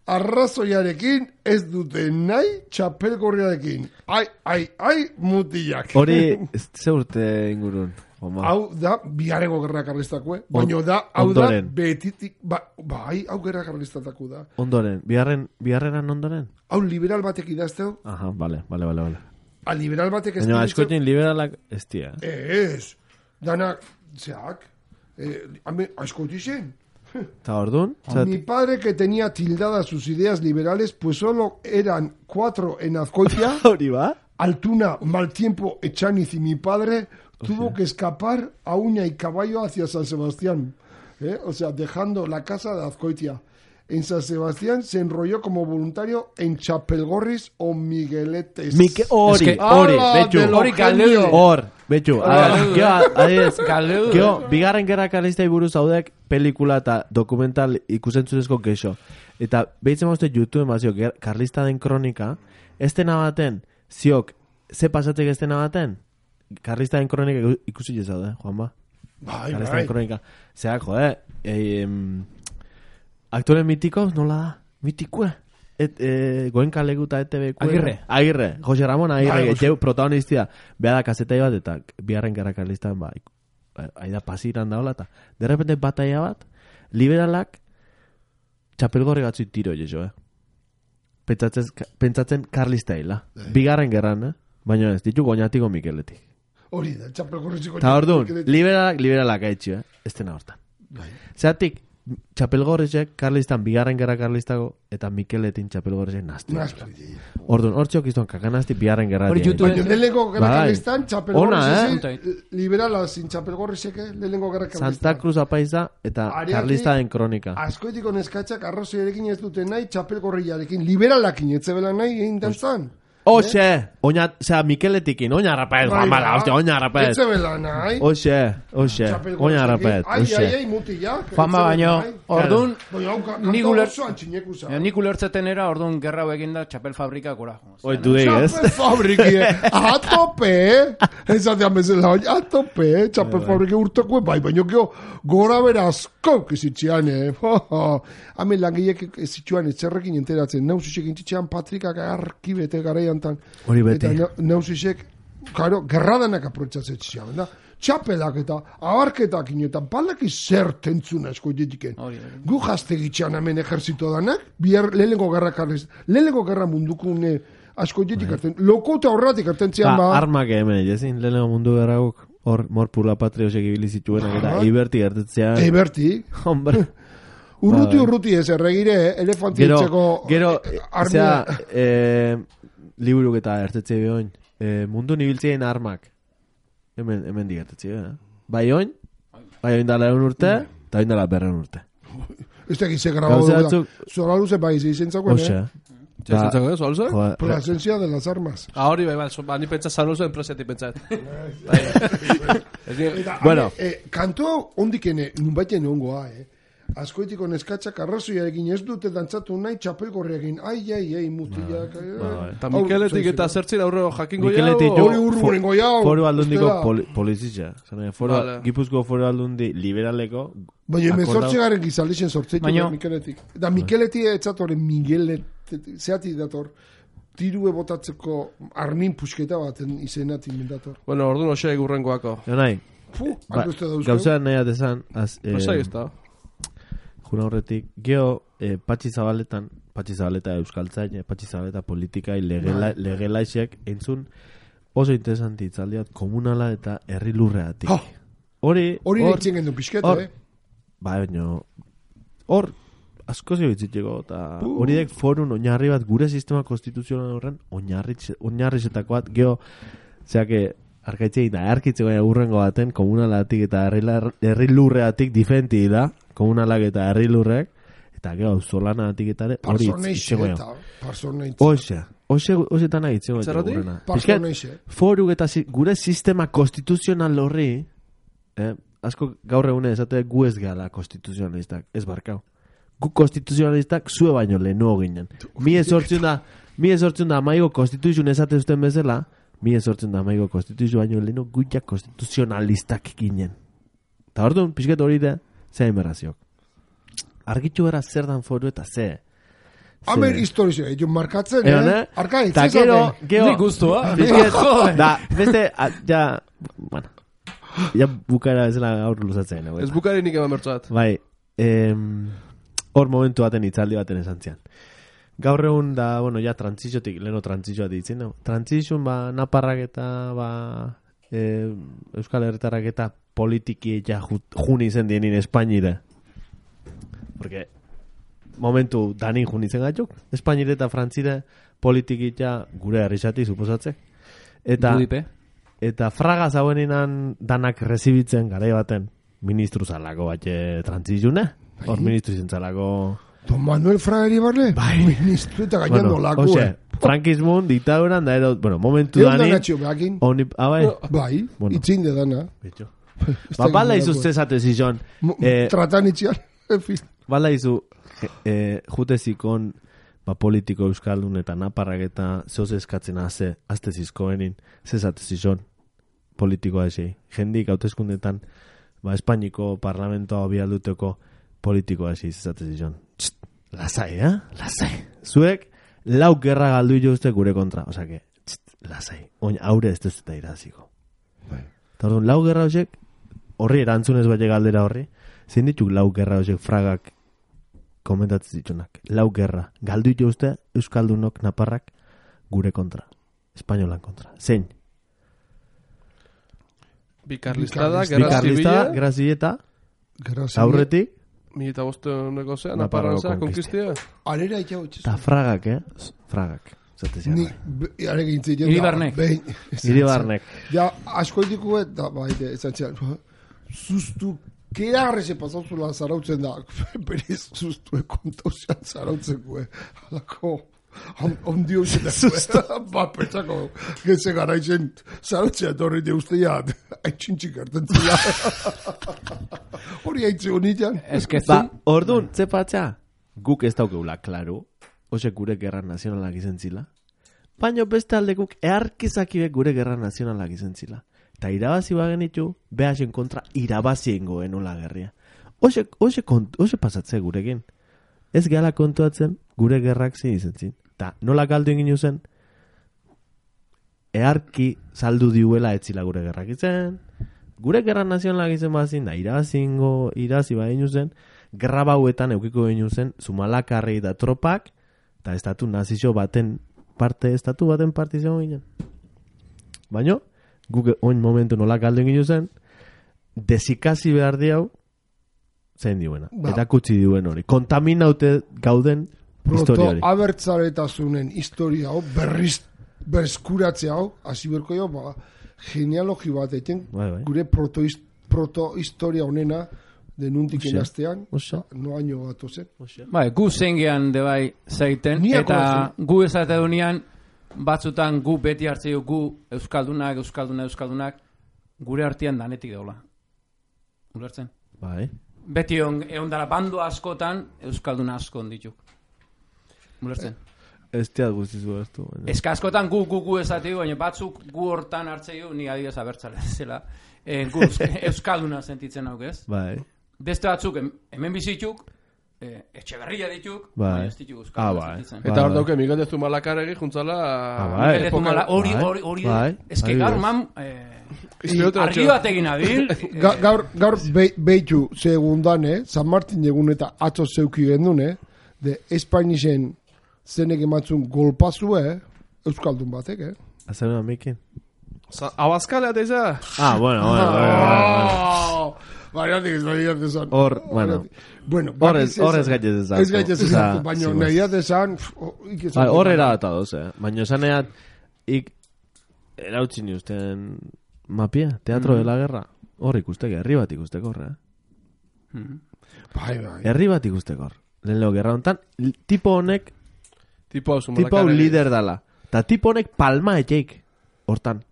arrazoiarekin ez dute nahi txapelgorriarekin. Ai, ai, ai, mutilak. Hori, ez ze urte ingurun. Oma. Hau da, biharreko gerra karlistakue. Baina da, hau da, ondoren. betitik, ba, bai, hau gerra karlistatako da. Ondoren, biharren, biharrenan ondoren? Hau liberal batek idazteu, Aha, vale, vale, vale, vale. a liberal batek ez Baina ditzeu- askotin liberalak ez tia. Ez, danak, zeak, eh, ame, askoti zen. Eta orduan? Zat, Mi padre que tenía tildadas sus ideas liberales, pues solo eran cuatro en Azkoitia, hori ba? Altuna, mal tiempo, Echaniz y mi padre tuvo que escapar a uña y caballo hacia San Sebastián. ¿eh? O sea, dejando la casa de Azcoitia. en San Sebastián se enrolló como voluntario en Chapelgorris o Migueletes. Mike, hori, Eske- hori, Ala, betxu. de lo Hori galdu. genio. Hor, betxu. Galdu. Geo, adiez, Galdu. geo, bigarren gerra karlistei buruz haudek pelikula eta dokumental ikusentzunezko kexo. Eta behitzen mauzte YouTube mazio, karlista den kronika, estena baten, ziok, ze pasatzek estena baten? Karlista den kronika ikusi jezaude, Juanba? Bai, Karlista bai. den kronika. Zerak, jode, eh, em, aktore mitiko, nola da? Mitikue. Et, eh, goen kalegu eta E T B. Agirre. Agirre. Jose Ramon Agirre. Bai, Bai, protagonistia. Beha da kazetai bat eta biharren gara karlistan ba. Aida pasiran daola eta. De repente bataia bat. Liberalak txapelgorri gatzu tiro jeso, eh. Pentsatzen, pentsatzen karlista hila. Bigarren gerran, eh. Baina ez, ditu goñatiko Mikeletik. Hori da, Chapelgorrisiko. Eta orduan, liberalak, liberalak haitxio, eh. Estena hortan. Zeratik, txapelgorrizek karlistan bigarren gerra karlistago eta Mikeletin txapelgorrizek nazti. Orduan, hortziok iztuan kakanazti bigarren gerra. Hori YouTube- Baina lehenengo gerra Bai. karlistan, Ona, Chapelgorrisek, eh? liberala sin Chapelgorrisek, lehenengo gerra karlistan. Santa Cruz apaiza eta Ariaki- karlista den kronika. Askoetiko neskatzak arrazoiarekin ez dute nahi, Chapelgorriarekin, liberalakin etzebela nahi egin dantzan. Oxe, oina, osea, Mikeletikin, oina rapaez, Bai, Juan Bala, ba. hostia, oina rapaez. Etzebela nahi. Oxe, oxe, oina rapaez, Ai, ai, oxe. ai, mutilak. Juanma baino, orduan, Baina, hau, ka- Nik kanta uler- osoan txineku za. eh, nik ulertzeten era, orduan gerra hau eginda txapel fabrika gora. Oi, du dei, ez? Txapel fabriki, a tope, ezatean bezala, oi, a tope, txapel fabriki urteko, bai, baina geho, gora bera asko kizitzean, eh, hamen langilek zitsuan etzerrekin enteratzen, nausisek intitzean Patrikak arki bete garaian tan, Hori beti. eta nausisek, karo, gerradanak aprotxatzen zian, da, txapelak eta abarketak inetan, palaki zer tentzuna esko ditiken. Hori, hori. Gu jazte gitxean hemen ejerzito danak, bihar lehenengo gerra karliz, lehenengo gerra mundukune asko ditik arten, lokota horratik arten zian Ba, ba, armak hemen, jezin, lehenengo mundu gerraguk, hor, mor pura patriosek ibili zituenak eta Aha. eiberti gertetzea. eiberti, Hombre. urruti Bai. urruti ez erregire, elefanti Gero, etxeko gero, eh, zera, armia. eh, liburuk eta ertetze behoin, eh, mundu nibiltzien armak. Hemen, hemen digertetze, eh? Bai oin, bai oin dala egun urte, eta oin dala berren urte. Ez da gize grabau Gauza da. batzuk- Zora luze bai izen zagoen, Oxe. eh? Jasentzako ez, holze? Joder, Por la esencia de las armas. Ah, hori, bai, bai, so- ba, ni pentsa zanuzo enpresetik pentsat. Ez ni- Eta, Bueno. ane, eh, kantu hau ondikene, nunbaiten ongoa, eh? Askoetiko neskatzak arrazoiarekin ez dute dantzatu nahi txapelgorriakin. Ai, ai, ai, mutilak. ai, ai. Eta Mikeletik eta zertzin aurreo jakingo Mikeletik jau, jo, Hori urrurengo jau, foru aldundiko ustela. poli, polizitza. Zene, foru, Vale. Gipuzko foru aldundi liberaleko. Baina hemen akordau- zortzi garen gizaldixen sortzeitu Baina- Mikeletik. Da Mikeleti etzatore Miguelet, zeatik dator, tirue botatzeko armin pusketa baten izenatik dator. Bueno, orduan hoxe egurrengoako. Jonai, Puh, ba, aldo uste dauzko. gauza nahi atezan, az, eh, Pasai ez da. juna horretik, geho, eh, Patxi Zabaletan, Patxi Zabaleta euskaltzain, eh, Patxi Zabaleta politikai legela, legelaixek, entzun oso interesanti itzaldiat komunala eta herri lurreatik. Ha! Hori, Hori hor, nintzen gendu pixkete, hor- eh? ba, baina, hor, asko zio bitziteko, eta hori dek forun oinarri bat, gure sistema konstituzional horren, oinarrizetako bat, geho, zeake, arkaitzei da, arkitzeko urrengo baten, komunalatik eta herri- herri lurreatik difenti da, komunalak eta herri lurrek, eta geho, auzolanatik eta ere, hori Parsoneixe, itzeko eta parsoneixe. Oxe, oxe, oxetan nahi itzeko Zergatik? gurena. Pixkat, Parsoneixe. foruk eta si, gure sistema konstituzional horri, eh, asko gaur egune esate gu ez gala konstituzionalistak, ez barkau. Gu konstituzionalistak zue baino lehenuo ginen. Mi ezortzen da, mi ezortzen da amaigo konstituzion esate zuten bezala, mi ezortzen da amaigo konstituzio baino lehenu guiak konstituzionalistak ginen. Eta orduan, pixket hori da, ze emerraziok. Argitxu gara zer dan foru eta ze. Hamer historizio, jo markatzen, Egon, eh? eh? Arka, Eta itzezate. gero, gero, Nik guztua. Pixket, da, beste, a, ja, bueno, ja bukara bezala gaur luzatzen. Ez bukari nik eman bertzoat. Bai, em, hor momentu baten itzaldi baten esan zian. Gaur egun da, bueno, ja trantziziotik, leheno trantzizioa ditzen, no? Trantzizioan, ba, naparrak eta, ba, e, Euskal Herritarrak eta politiki ja ju, jun izen dienin Espainire. Porque momentu danin jun izen gatzuk, Espainire eta Frantzire politiki ja gure herrizati, suposatzek. Eta, Irudipe. eta fraga zaueninan danak rezibitzen garai baten ministru zalako bat trantzizune. Hor ministru izen zalako Don Manuel Fraga Iribarne? Bai. Ministro eta gainan Bueno, nolako, ose, eh. frankismun, diktaduran, da ero, bueno, momentu Egon danin... dana txio behakin. Oni, ah, bai? Bai, Bueno. itzin de dana. Betxo. Ba, bala izu zezate zizon. Mo- Eh, Tratan itxian. En fin. bala izu, eh, jutezikon, ba, politiko euskaldun eta naparrak eta zehoz eskatzen haze, azte zizkoenin, zezate zizon, politikoa esei. Jendik hauteskundetan, ba, Espainiko parlamentoa bialduteko politikoa esei zezate zizon. Txt, lasai, eh? Lasai. Zuek, lau gerra galdu jozte gure kontra. Osa que, txt, lasai. Oin, aure ez dut eta iraziko. Eta orduan, lau gerra horiek, horri erantzunez bai galdera horri, zein dituk lau gerra horiek fragak komentatzen ditunak. Lau gerra. Galdu jozte euskaldunok naparrak gure kontra. Espainolan kontra. Zein? Bikarlistada, Bikarlista- gerra Bikarlista, zibila, gerra zileta, Gerra zibila. aurretik, mila eta bosteuneko zean, Nafarroako naparra zea, konkistia. konkistia. Arera itxau itxez. eta fragak, eh? Fragak. Zate zian, Ni, bai. be- are gintzen. Iribarnek. Iribarnek. Ja, asko ditugu eta baite, esan txan, sustu, kearre se pasauzula zarautzen da, berez sustu kontauzean zarautzen gue, halako, ondio zenak, ba, pentsako, getze garaitzen zarautzea torri de usteia, haitxintxik hartzen zila. Hori haitze honitan. Ez que Ba, zun, orduan, zepatza, guk ez daukeula, klaru, ose gure gerra nazionalak izen zila. Baina beste alde guk earkizakibek gure gerra nazionalak izen zila. Eta irabazi bagenitu, behasen kontra irabazi ingoen nola gerria. Ose, ose, kont, ose pasatze gurekin. Ez gehala kontuatzen gure gerrak zin izen zin. Ta nola galdu ingin zen, earki saldu diuela etzila gure gerrak izen, gure gerra nazionalak izen bazin, da irabazi ingo, irabazi baino zen, gerra bauetan eukiko baino zen, Zumalakarrei da tropak, eta estatu nazio baten parte, estatu baten parte izango ginen. Baina, guk oin momentu nola galdu egin zen, desikasi behar diau, zein diuena. Ba. Eta kutsi diuen hori. Kontaminaute gauden historia Proto hori. abertzaletasunen historia hau, berriz, berskuratzea hau, hasi berko jo, ba, genealogi bat eten, Bai, bai. gure proto, proto historia honena, denuntik Osea, enaztean, osea. no año bat ozen. bai, gu zengean de bai zaiten, Ni eta gu esate dunean, batzutan gu beti hartzeo gu euskaldunak, euskaldunak, euskaldunak, gure artean danetik daula. Ulertzen? Bai. Beti on, egon dara bando askotan, euskalduna asko ondituk. Ulertzen? Ez teat guztizu ez du. baina- Eska askotan gu, gu, gu esateu, baina batzuk gu hortan hartzeo, ni adibidez abertzale zela. E, gu eusk- euskalduna sentitzen hauk ez. Bai. Beste batzuk hem- hemen bizituk, e, etxeberria dituk, Bai. baina ez dituk Ah, euskalduna bai. sentitzen. Bai, Eta hor bai. dauke, Miguel de Zumalakarregi juntzala... Ah, bai. Mikel de Zumala- Hori, Bai, hori, hori, bai, ez que adibidez. gaur man, eh, Izpiote argi atxo. bat egin abil, Ga, gaur, gaur be, behitu segundan, eh? San Martin egun eta atzo zeuki gendun, eh? De Espainisen zenek ematzun golpazue, eh? Euskaldun batek, eh? Azaluna mikin. Sa- Abaskalea eta izan? Ah, bueno, bueno, bueno, bueno. Oh! Bariatik ez bariat esan. Hor, bueno. Bueno, Horrez, horrez gaitez ezartu. Ez gaitez Osea, ezartu, baina sí, nahi bai. esan... Bai, horrera eta doz, eh. Baina esaneat, ik erautzi ni usten mapia, teatro de la guerra. Hor ikusteke, herri bat ikusteko horre, eh. Bai, bai. Herri bat ikusteko hor. Lehen leo gerra hontan, l- tipo honek, Tipo hau tipo hau Zumalakarregi. lider dala. Ta tipo honek palma etxeik, hortan.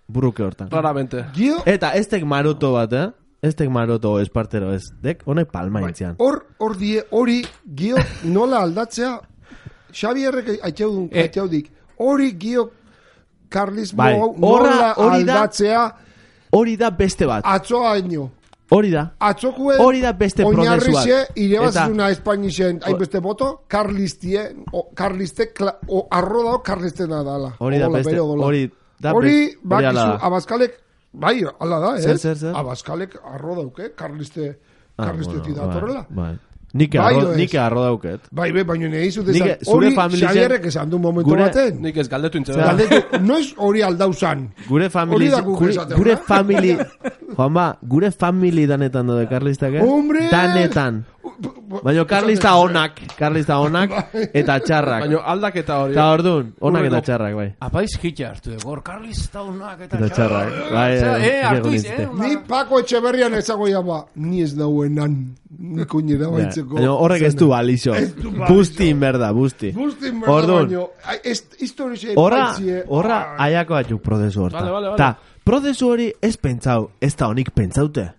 Burruke hortan. Raramente. Gio, Eta ez tek maroto bat, eh. Ez tek maroto espartero ez. Dek, honek palma etxean. hor, hor die, hori, gio, nola aldatzea, Xabierrek aitxaudun, Eh. aitxaudik, hori gio karlismo Bai, hau horra- nola hori da- aldatzea Hori da beste bat. atzoa haino. Hori da. Atzokue, Hori da beste prozesua. oinarrixe, Eta- irebazizuna Espainisen hainbeste boto, karlistie, o, karliste, kla, o, arro dao karlistena dala. Hori da Odola, beste. bere odola. Hori da Hori, beste. Hori bakizu, ala da. abaskalek, bai, ala da, ez? Zer, zer, zer? Abaskalek arro dauke, karliste, Ah, karlistetik bueno, datorrela. Bai. bai. Nik Bai, arro, o ez? nik arro dauket. Bai, be, baina nahi zut Nik- esan, zure hori familizen- Xabierrek esan du momentu gure- baten. Nik ez galdetu intzen. Zera. Galdetu, noiz hori aldauzan. Gure famili, Hori da guk gure, esaten, gure eh? famili, Juanba, gure famili danetan dode karlistak, eh? Hombre! Danetan. Baina karlista onak, karlista onak, eta txarrak. Baina aldaketa hori. Eta orduan, onak eta Hurrengo- txarrak, bai. Apaiz hitxa hartu dugu, hor karlista unak eta Eta txarrak. Bai, Osea, bai, eh, hartu bai, iz, bai, eh? Ni Pako Etxeberrian ezago ba, ni ez nauenan, ni koinera baitzeko. Baina horrek ez du balixo. du balixo. Busti berda, busti. Bustin berda Orduan, baino, historixe horra, baitzie. horra aiako batzuk prozesu horta. Vale, vale, vale. Ta, prozesu hori ez pentsau, ez da honik pentsaute.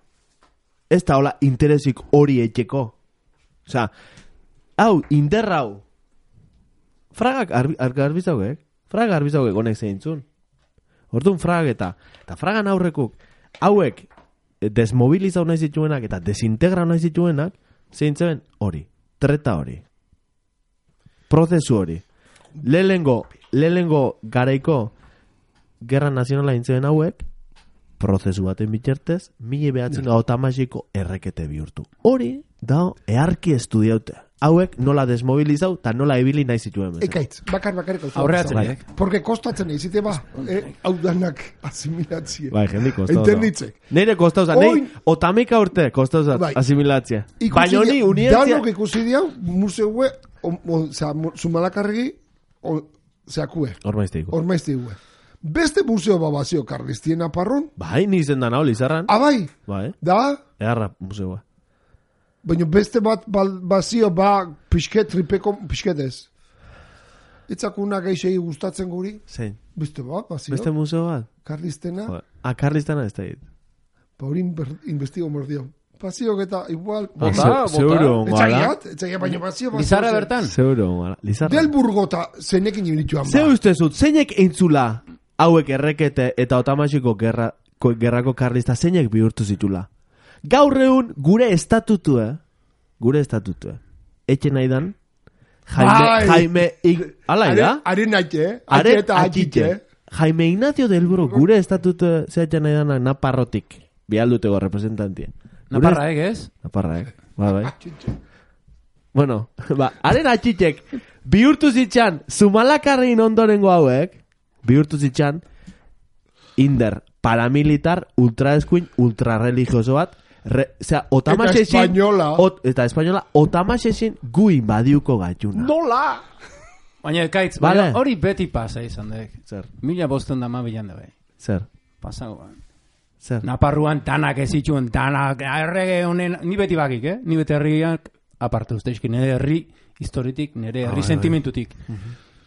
Ez da hola interesik hori etxeko. Osa, hau, interrau. Fragak arbi, ar, garbizaugek, fragak garbizaugek honek zeintzun. Orduan fragak eta, eta fragan aurrekuk, hauek desmobilizau nahi zituenak eta desintegrau nahi zituenak, zeintzen hori, treta hori. Prozesu hori. Lehengo, lehengo garaiko gerra nazionala intzen hauek, prozesu baten bitartez, mila behatzen gau tamasiko errekete bihurtu. Hori, da, earki estudiaute. Hauek nola desmobilizau, eta nola ebili nahi zituen. bezala. Ekaitz, bakar bakarrik hau Aurreatzen, zaude. eh? Porque kostatzen egizite ba, eh, hau danak asimilatzie. Bai, jendik kostau. Entenditzek. Neire kostau zan, Oin- neire otamika urte kostau zan, Bai. asimilatzia. Ikusi Baina honi, dia- unientzia... Danok ikusi diau, museue, osea, zumalakarregi, zeakue, Hormaizte iko. ormaizte gue. Beste museo babazio karlistien aparron, Bai, ni izen dan hau, Lizarran. abai, Bai, da, egarra museoa. baina beste bat bal, bazio ba pixket, tripeko pixketez. Itzakuna geixei gustatzen guri, Zein, beste bat, bazio, beste museo bat? karlistena, Joder. Ah, Karlistana ez da dit. pa hori inber- investigo mordio. Bazio eta igual, Bota, Ze- bota. Zeuro ongala. etxaiat, etxaiat, baina bazio, bazio. Lizarra zen. bertan? Zeuro ongala. Lizarra. Del Burgota zenekin ibilituan Ze ba. uste zut, zeinek eintzula hauek errekete eta otamasiko gerra, ko, gerrako karlista zeinek bihurtu zitula? Gaur egun gure estatutue, gure estatutue, etxe nahi dan, Jaime, Bai. Jaime, Ig- ala da? Are naite, eh? Are Are eta atxite. atxite. Jaime Ignacio del Buru, gure estatute zehatxe nahi danak Naparrotik, bihalduteko representantia. Gure Naparra, eh, ez? Naparra, eh? Ba, bai. Bueno, ba, haren atxitek, bihurtu zitxan, Zumalakarrein ondorengo hauek, bihurtu zitxan, inder, paramilitar, ultraeskuin, ultrarreligioso bat, re, osea, otamaxezin, espainola. ot, eta espainola, otamaxezin gu inbadiuko gaituna. Nola! Baina, kaitz, Vale. baina hori beti pasa izan dek. Zer, Mila bosten da ma bilan da bai. zer, Pasagoan. zer. Naparruan danak ez zituen, danak, errege honen, ni beti bakik, eh? Ni beti herriak, aparte usteizki, nire herri historitik, nire herri bai, sentimentutik.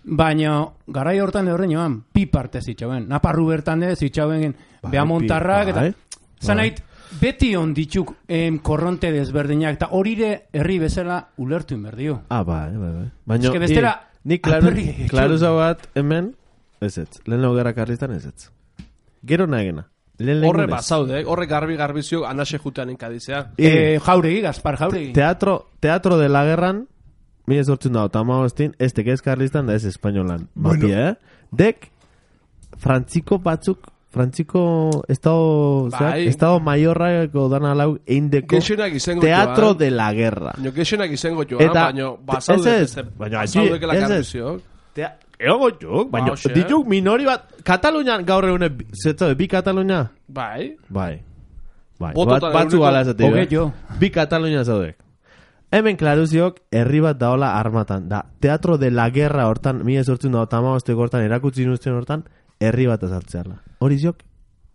Baina, garai hortan horren joan, pi parte zitzauen. Naparru bertan de zitzauen, Bai, beamontarrak, pi- eta... bai, Zanait, beti on dituk em, korronte desberdinak, eta horire herri bezala ulertu inberdio. Ah, bai, bai, bai. Baina, Eske bestela, i- ni klaru, alperri egin. klaruza bat hemen, ez ez, lehen gerra karlistan ez ez. Gero nagena. Lehen Horre lengunez. bazaude, eh? Horre garbi garbizio anase jutean inkadizea. Eh, jauregi, Gaspar Jauregi. Teatro, teatro de la guerran, mila sortzen da, otama hostin, ez teke ez karlistan da ez espainolan. Bueno. Mapia, eh? Dek, frantziko batzuk, frantziko estado, Bai. zeak, estado mayorrako dana lau eindeko Gexenak izango teatro joan. de la guerra. Baina gexenak izango joan, Eta- baina bazaude ez ez, beste- baina bazaudekela ez ez. garbizio. Tea, egongo juk, baina Ba, hoxe. dituk minori bat, Katalunian gaur egune, zetzo, bi Katalunia? Bai. Bai. Bai, Bototan bat, batzu ehuneko gala esatik. hogei eh? jo. Bi Katalunia zaudek. Hemen klaruziok, herri bat daola armatan. Da, teatro de la guerra hortan, mila sortzen da, otamabosteko hortan, erakutsi nuzten hortan, herri bat azaltzearla. Hori ziok?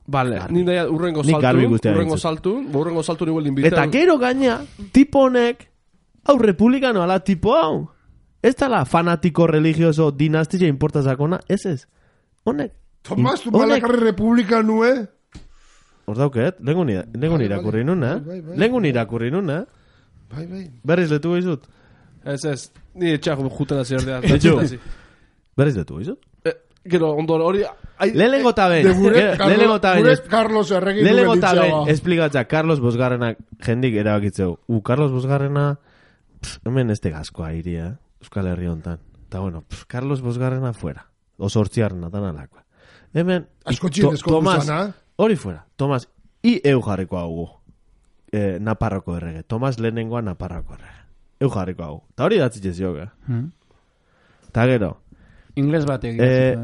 Vale, ni nahi urrengo Nik garbi saltu, guztia urrengo dintzut. saltu, ba, urrengo saltu niguel inbitan. Eta gero gaina, tipo honek, hau republikano ala tipo hau. Ez tala fanatiko religioso dinastia importa zakona, ez ez. Honek. Tomas, tu honek- malakarri republika nue? Hor dauket, lengun ira- lengun Bai, irakurri bai. nun, eh? Bai, bai, bai. Lengun irakurri nun, eh? Bai, bai. Berriz letu goizut? Ez ez, ni etxak jutena zerdea. Etxu. Berriz letu goizut? Eh, Gero, ondoro, hori... ai- Lehenengo ta ben. De gure, Gero- Lehenengo ta ben. gure Carlos erregin Lehenengo duen ta ditzea, ben. ba. Esplikatzea, Carlos Bosgarrenak jendik erabakitzeu. U, Carlos Bosgarrena, pff, hemen este gaskoa iria, Euskal Herri hontan. Eta bueno, pff, Carlos Bosgarrena fuera. Oso hortziarrena, tan alakoa. Hemen, Asko i- txien To- eskondu Tomas, zana. hori fuera. Tomas, i eu jarriko hau eh, Naparroko errege. Tomas lehenengoa Naparroko errege. Eu jarriko hau. Eta hori datzitxe zioga. Hmm. Eta gero, Ingles batek. Eh, eh,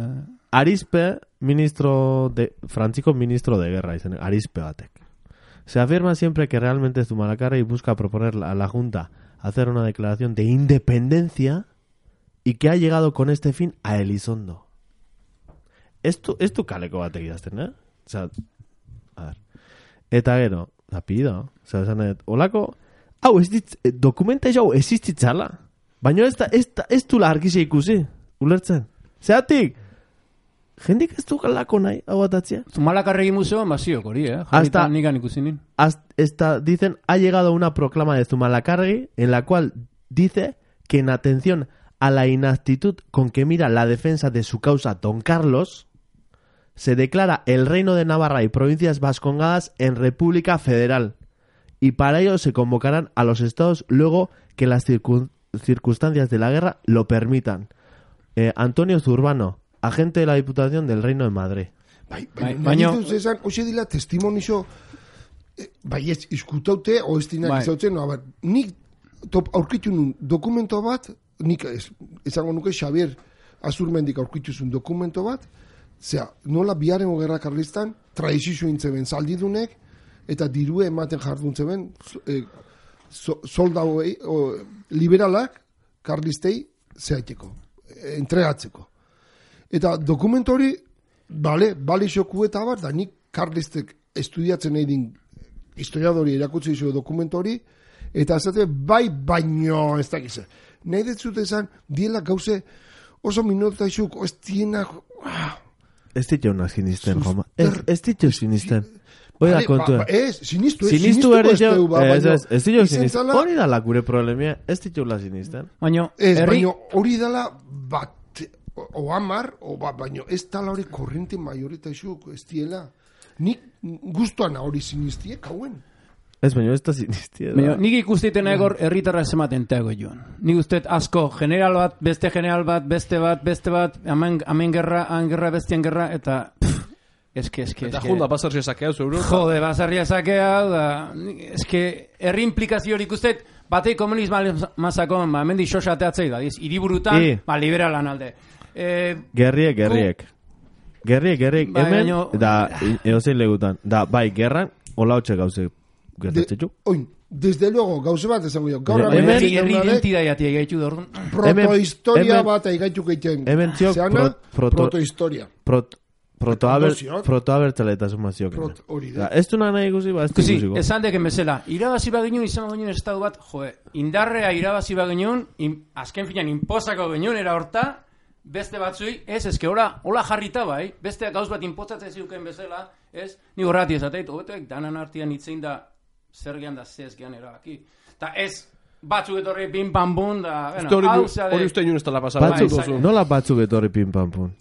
Arizpe, ministro de, frantziko ministro de guerra, izan, Arizpe batek. Se afirma siempre que realmente Zumalacárregui busca proponer a la Junta hacer una declaración de independencia y que ha llegado con este fin a Elizondo. Esto, esto kaleko batek idazten, eh? Osea, a ver. Eta gero, rapido, osea, esan dut, olako, hau, ez dit, dokumenta hau existitzala. Baina ez da, ez da, ez du argize ikusi, ulertzen. Zeatik, jendik ez du galako nahi, hau atatzea. Zumalakarregi museoan basiok hori, eh? Hasta- Jarrita nikan ikusi nin. Hasta, dicen, ha llegado una proclama de Zumalacárregui en la cual dice que en atención a la inaptitud con que mira la defensa de su causa Don Carlos, se declara el Reino de Navarra y provincias vascongadas en República Federal, y para ello se convocarán a los estados luego que las circun- circunstancias de la guerra lo permitan. Eh, Antonio Zurbano, agente de la Diputación del Reino de Madrid. Bai, Bai, bai, baino- baino... Zezan, hoxe dila testimonizo, eh, bai ez, izkutaute, o ez dinak Bai. izautzen, no, a ber, nik top, aurkitu nun dokumento bat, nik ez, ezango nuke Xavier Azurmendik aurkitu zuen dokumento bat, zera, nola biharrengo gerra karlistan, traizizio intzeben zaldidunek, eta dirue ematen jardun zeben, eh, so, soldauei, o, liberalak, karlistei, zehaiteko, eh, entregatzeko. Eta dokumentu hori, bale, bale xoku eta bat, da nik karlistek estudiatzen nahi din historiadori erakutsi dizu dokumentu hori, eta esate bai baino ez dakize. Nahi detzut esan, diela gauze oso minutaizuk, ez dienak... Ah, Ez ditu unak sinisten, Sus- Joma. Ez, ez ditu sinisten. Hoi da bale, kontua. ba, ba, ez, sinistu, ez, Sinistu ere ez jo, deu, ba, ez, baino, ez, ez ditu izen sinisten. zala- Hori da la gure problemia, ez ditu la sinisten. Baina, Ez, herri... baino hori dela bat, o, o amar, o ba, baino ez tala hori korrente mayoritaizuk, ez diela. Nik guztuan hori sinistie, kauen. Ez, baina ez da sinistia. Baina, nik ikustiten egor herritarra ematen teago joan. Nik ustet asko, general bat, beste general bat, beste bat, beste bat, hemen, hemen gerra, han gerra, bestian gerra, eta... Pff, eske, eske, Eta eske... junda basarri esakea zeuro. Jode, basarria sakea, da... Eske, herri implikazio hori ikustet, batei komunisma mazakon, ba, hemen di xoxateatzei da, diz, hiriburutan, I. ba, liberalan alde. Eh, Gerriek, gerriek. Gerriek, gerriek, Bai, hemen, baino- da, eozein legutan. Da, bai, gerran, hola hotxe gauze gertatzetxu. Oin, desde luego, gauze bat esango jo. Gaur Hemen- hemen herri herri jaunarek identidadeatik gaitu da, orduan. protohistoria hemen- bat aigaitu geiten. hemen ziok Zeana, pro- proto- protohistoria. Prot, protoaber, Kondozioak. protoabertzaletasun maziok. Prot- hori da. Da, ez du nahi ikusi, ba, ez du Ikusi, ikusiko. esan deken bezala, irabazi baginen, izan baginen estadu bat, joe, indarrea irabazi baginen, in, azken finan, inpozako ginen, era horta, beste batzui, ez, eske, hola, hola jarrita bai, beste gauz bat inpozatzen ziuken bezala, ez, ni horrati esateit, hobetuek, danan artian itzein da, zer gehan da, zez gehan erabaki. Ta ez, batzuk etorri pin pam bun, da, bueno, Hori hau zade, hori uste inun ez dela pasara. Bai, Batzuk, bai, bai. nola batzuk etorri pin pam pun.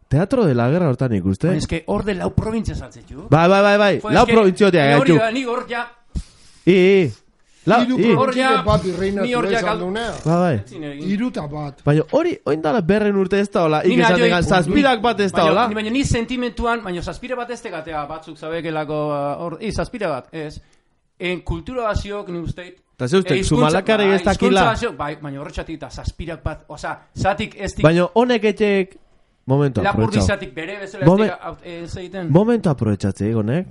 Teatro de la guerra hortan ikuste. eske, hor de lau provintzia saltzetxu. Bai, bai, bai, bai, lau provintziotia Hori gaitu. da, ni hor ja, I, i, lau, Hiru i, Hor ja- provintzia bat irreinatu ni hor ja izan gal- dunea. bai, bai. ezin egin. Iruta bat. Baina hori, oin dala berren urte ez da hola, Ni ikesan nahi degan, joi- zazpirak bat ez da Baina- hola. ni- Baina ni sentimentuan, baina zazpira bat ez tegatea batzuk zabekelako, uh, hor, i, zazpira bat, ez. En kultura baziok, ni usteit. Ta ze ustek, eh, hizkuntza- Zumalakarregi ez bai, hizkuntza dakila. baziok, bai, baina horretxatik eta zazpirak bat, oza, zatik ez dik, Baina honek etxeek, momentu lapurdi aprobetxau. zatik bere bezala Momen- ez dik, aut- ez egiten. Momentu aprobetxatze honek.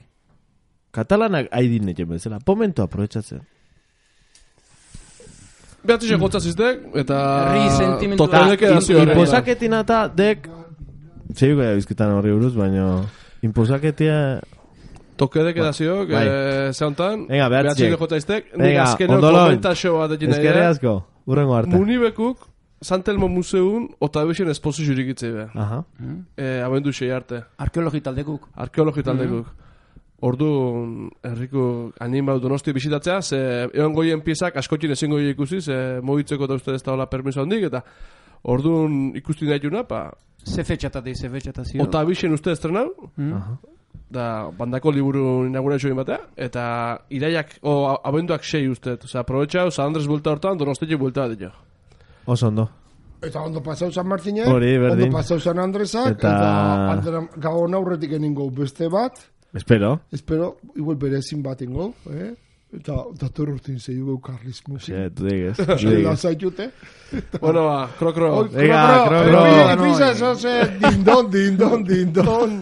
Katalanak haidin etxe bezala, momentu aprobetxatzen. Behatzi jokotza ziztek, eta... Herri sentimentua. Totaleke da zio. Inposaketin eta dek, zeiko da bizkitan horri buruz, baina inposaketia... Tokedeke da zio, Bai. eh, zeontan. Venga, behatzi Behatzi jek. jokotza iztek. Nik Venga, azkeno ondolon. komentaxo bat egin nahi Ezkerre da. asko, urrengo arte. Munibekuk, Santelmo Museun, otabixen esposizio irikitzei be. Aha. Eh, abendu sei arte. Arkeologi taldekuk. Arkeologi taldekuk. Ordu, herriko animau donosti bisitatzea, ze egon goien piezak askotin ezin goien ikusi, ze mogitzeko da uste ez da hola permiso handik, eta orduan ikusti nahi juna, pa, Ze fetxatatik, ze fetxatazio. ota bixen uste estrenau, Aha. da bandako liburu inaugurazio batea, eta iraiak, o a- abenduak sei uste, osea, aprobetxau, San Andres bulta hortan, donostetik bulta bat dio. Oso ondo. Eta ondo pasau San Martinen, Hori, berdin. ondo pasau San Andresak, Eta- eta, eta gabon aurretik eningo beste bat, Espero. espero, igual berezin bat ingo, eh? Eta dator urtin zei dugu karlismo. Sí, tu digues. tu Eskela digues. zaitute. Bueno, ba, kro, kro. Oi, Venga, kro, kro, kro, epi- kro. episa, eso se, dindon, dindon, dindon.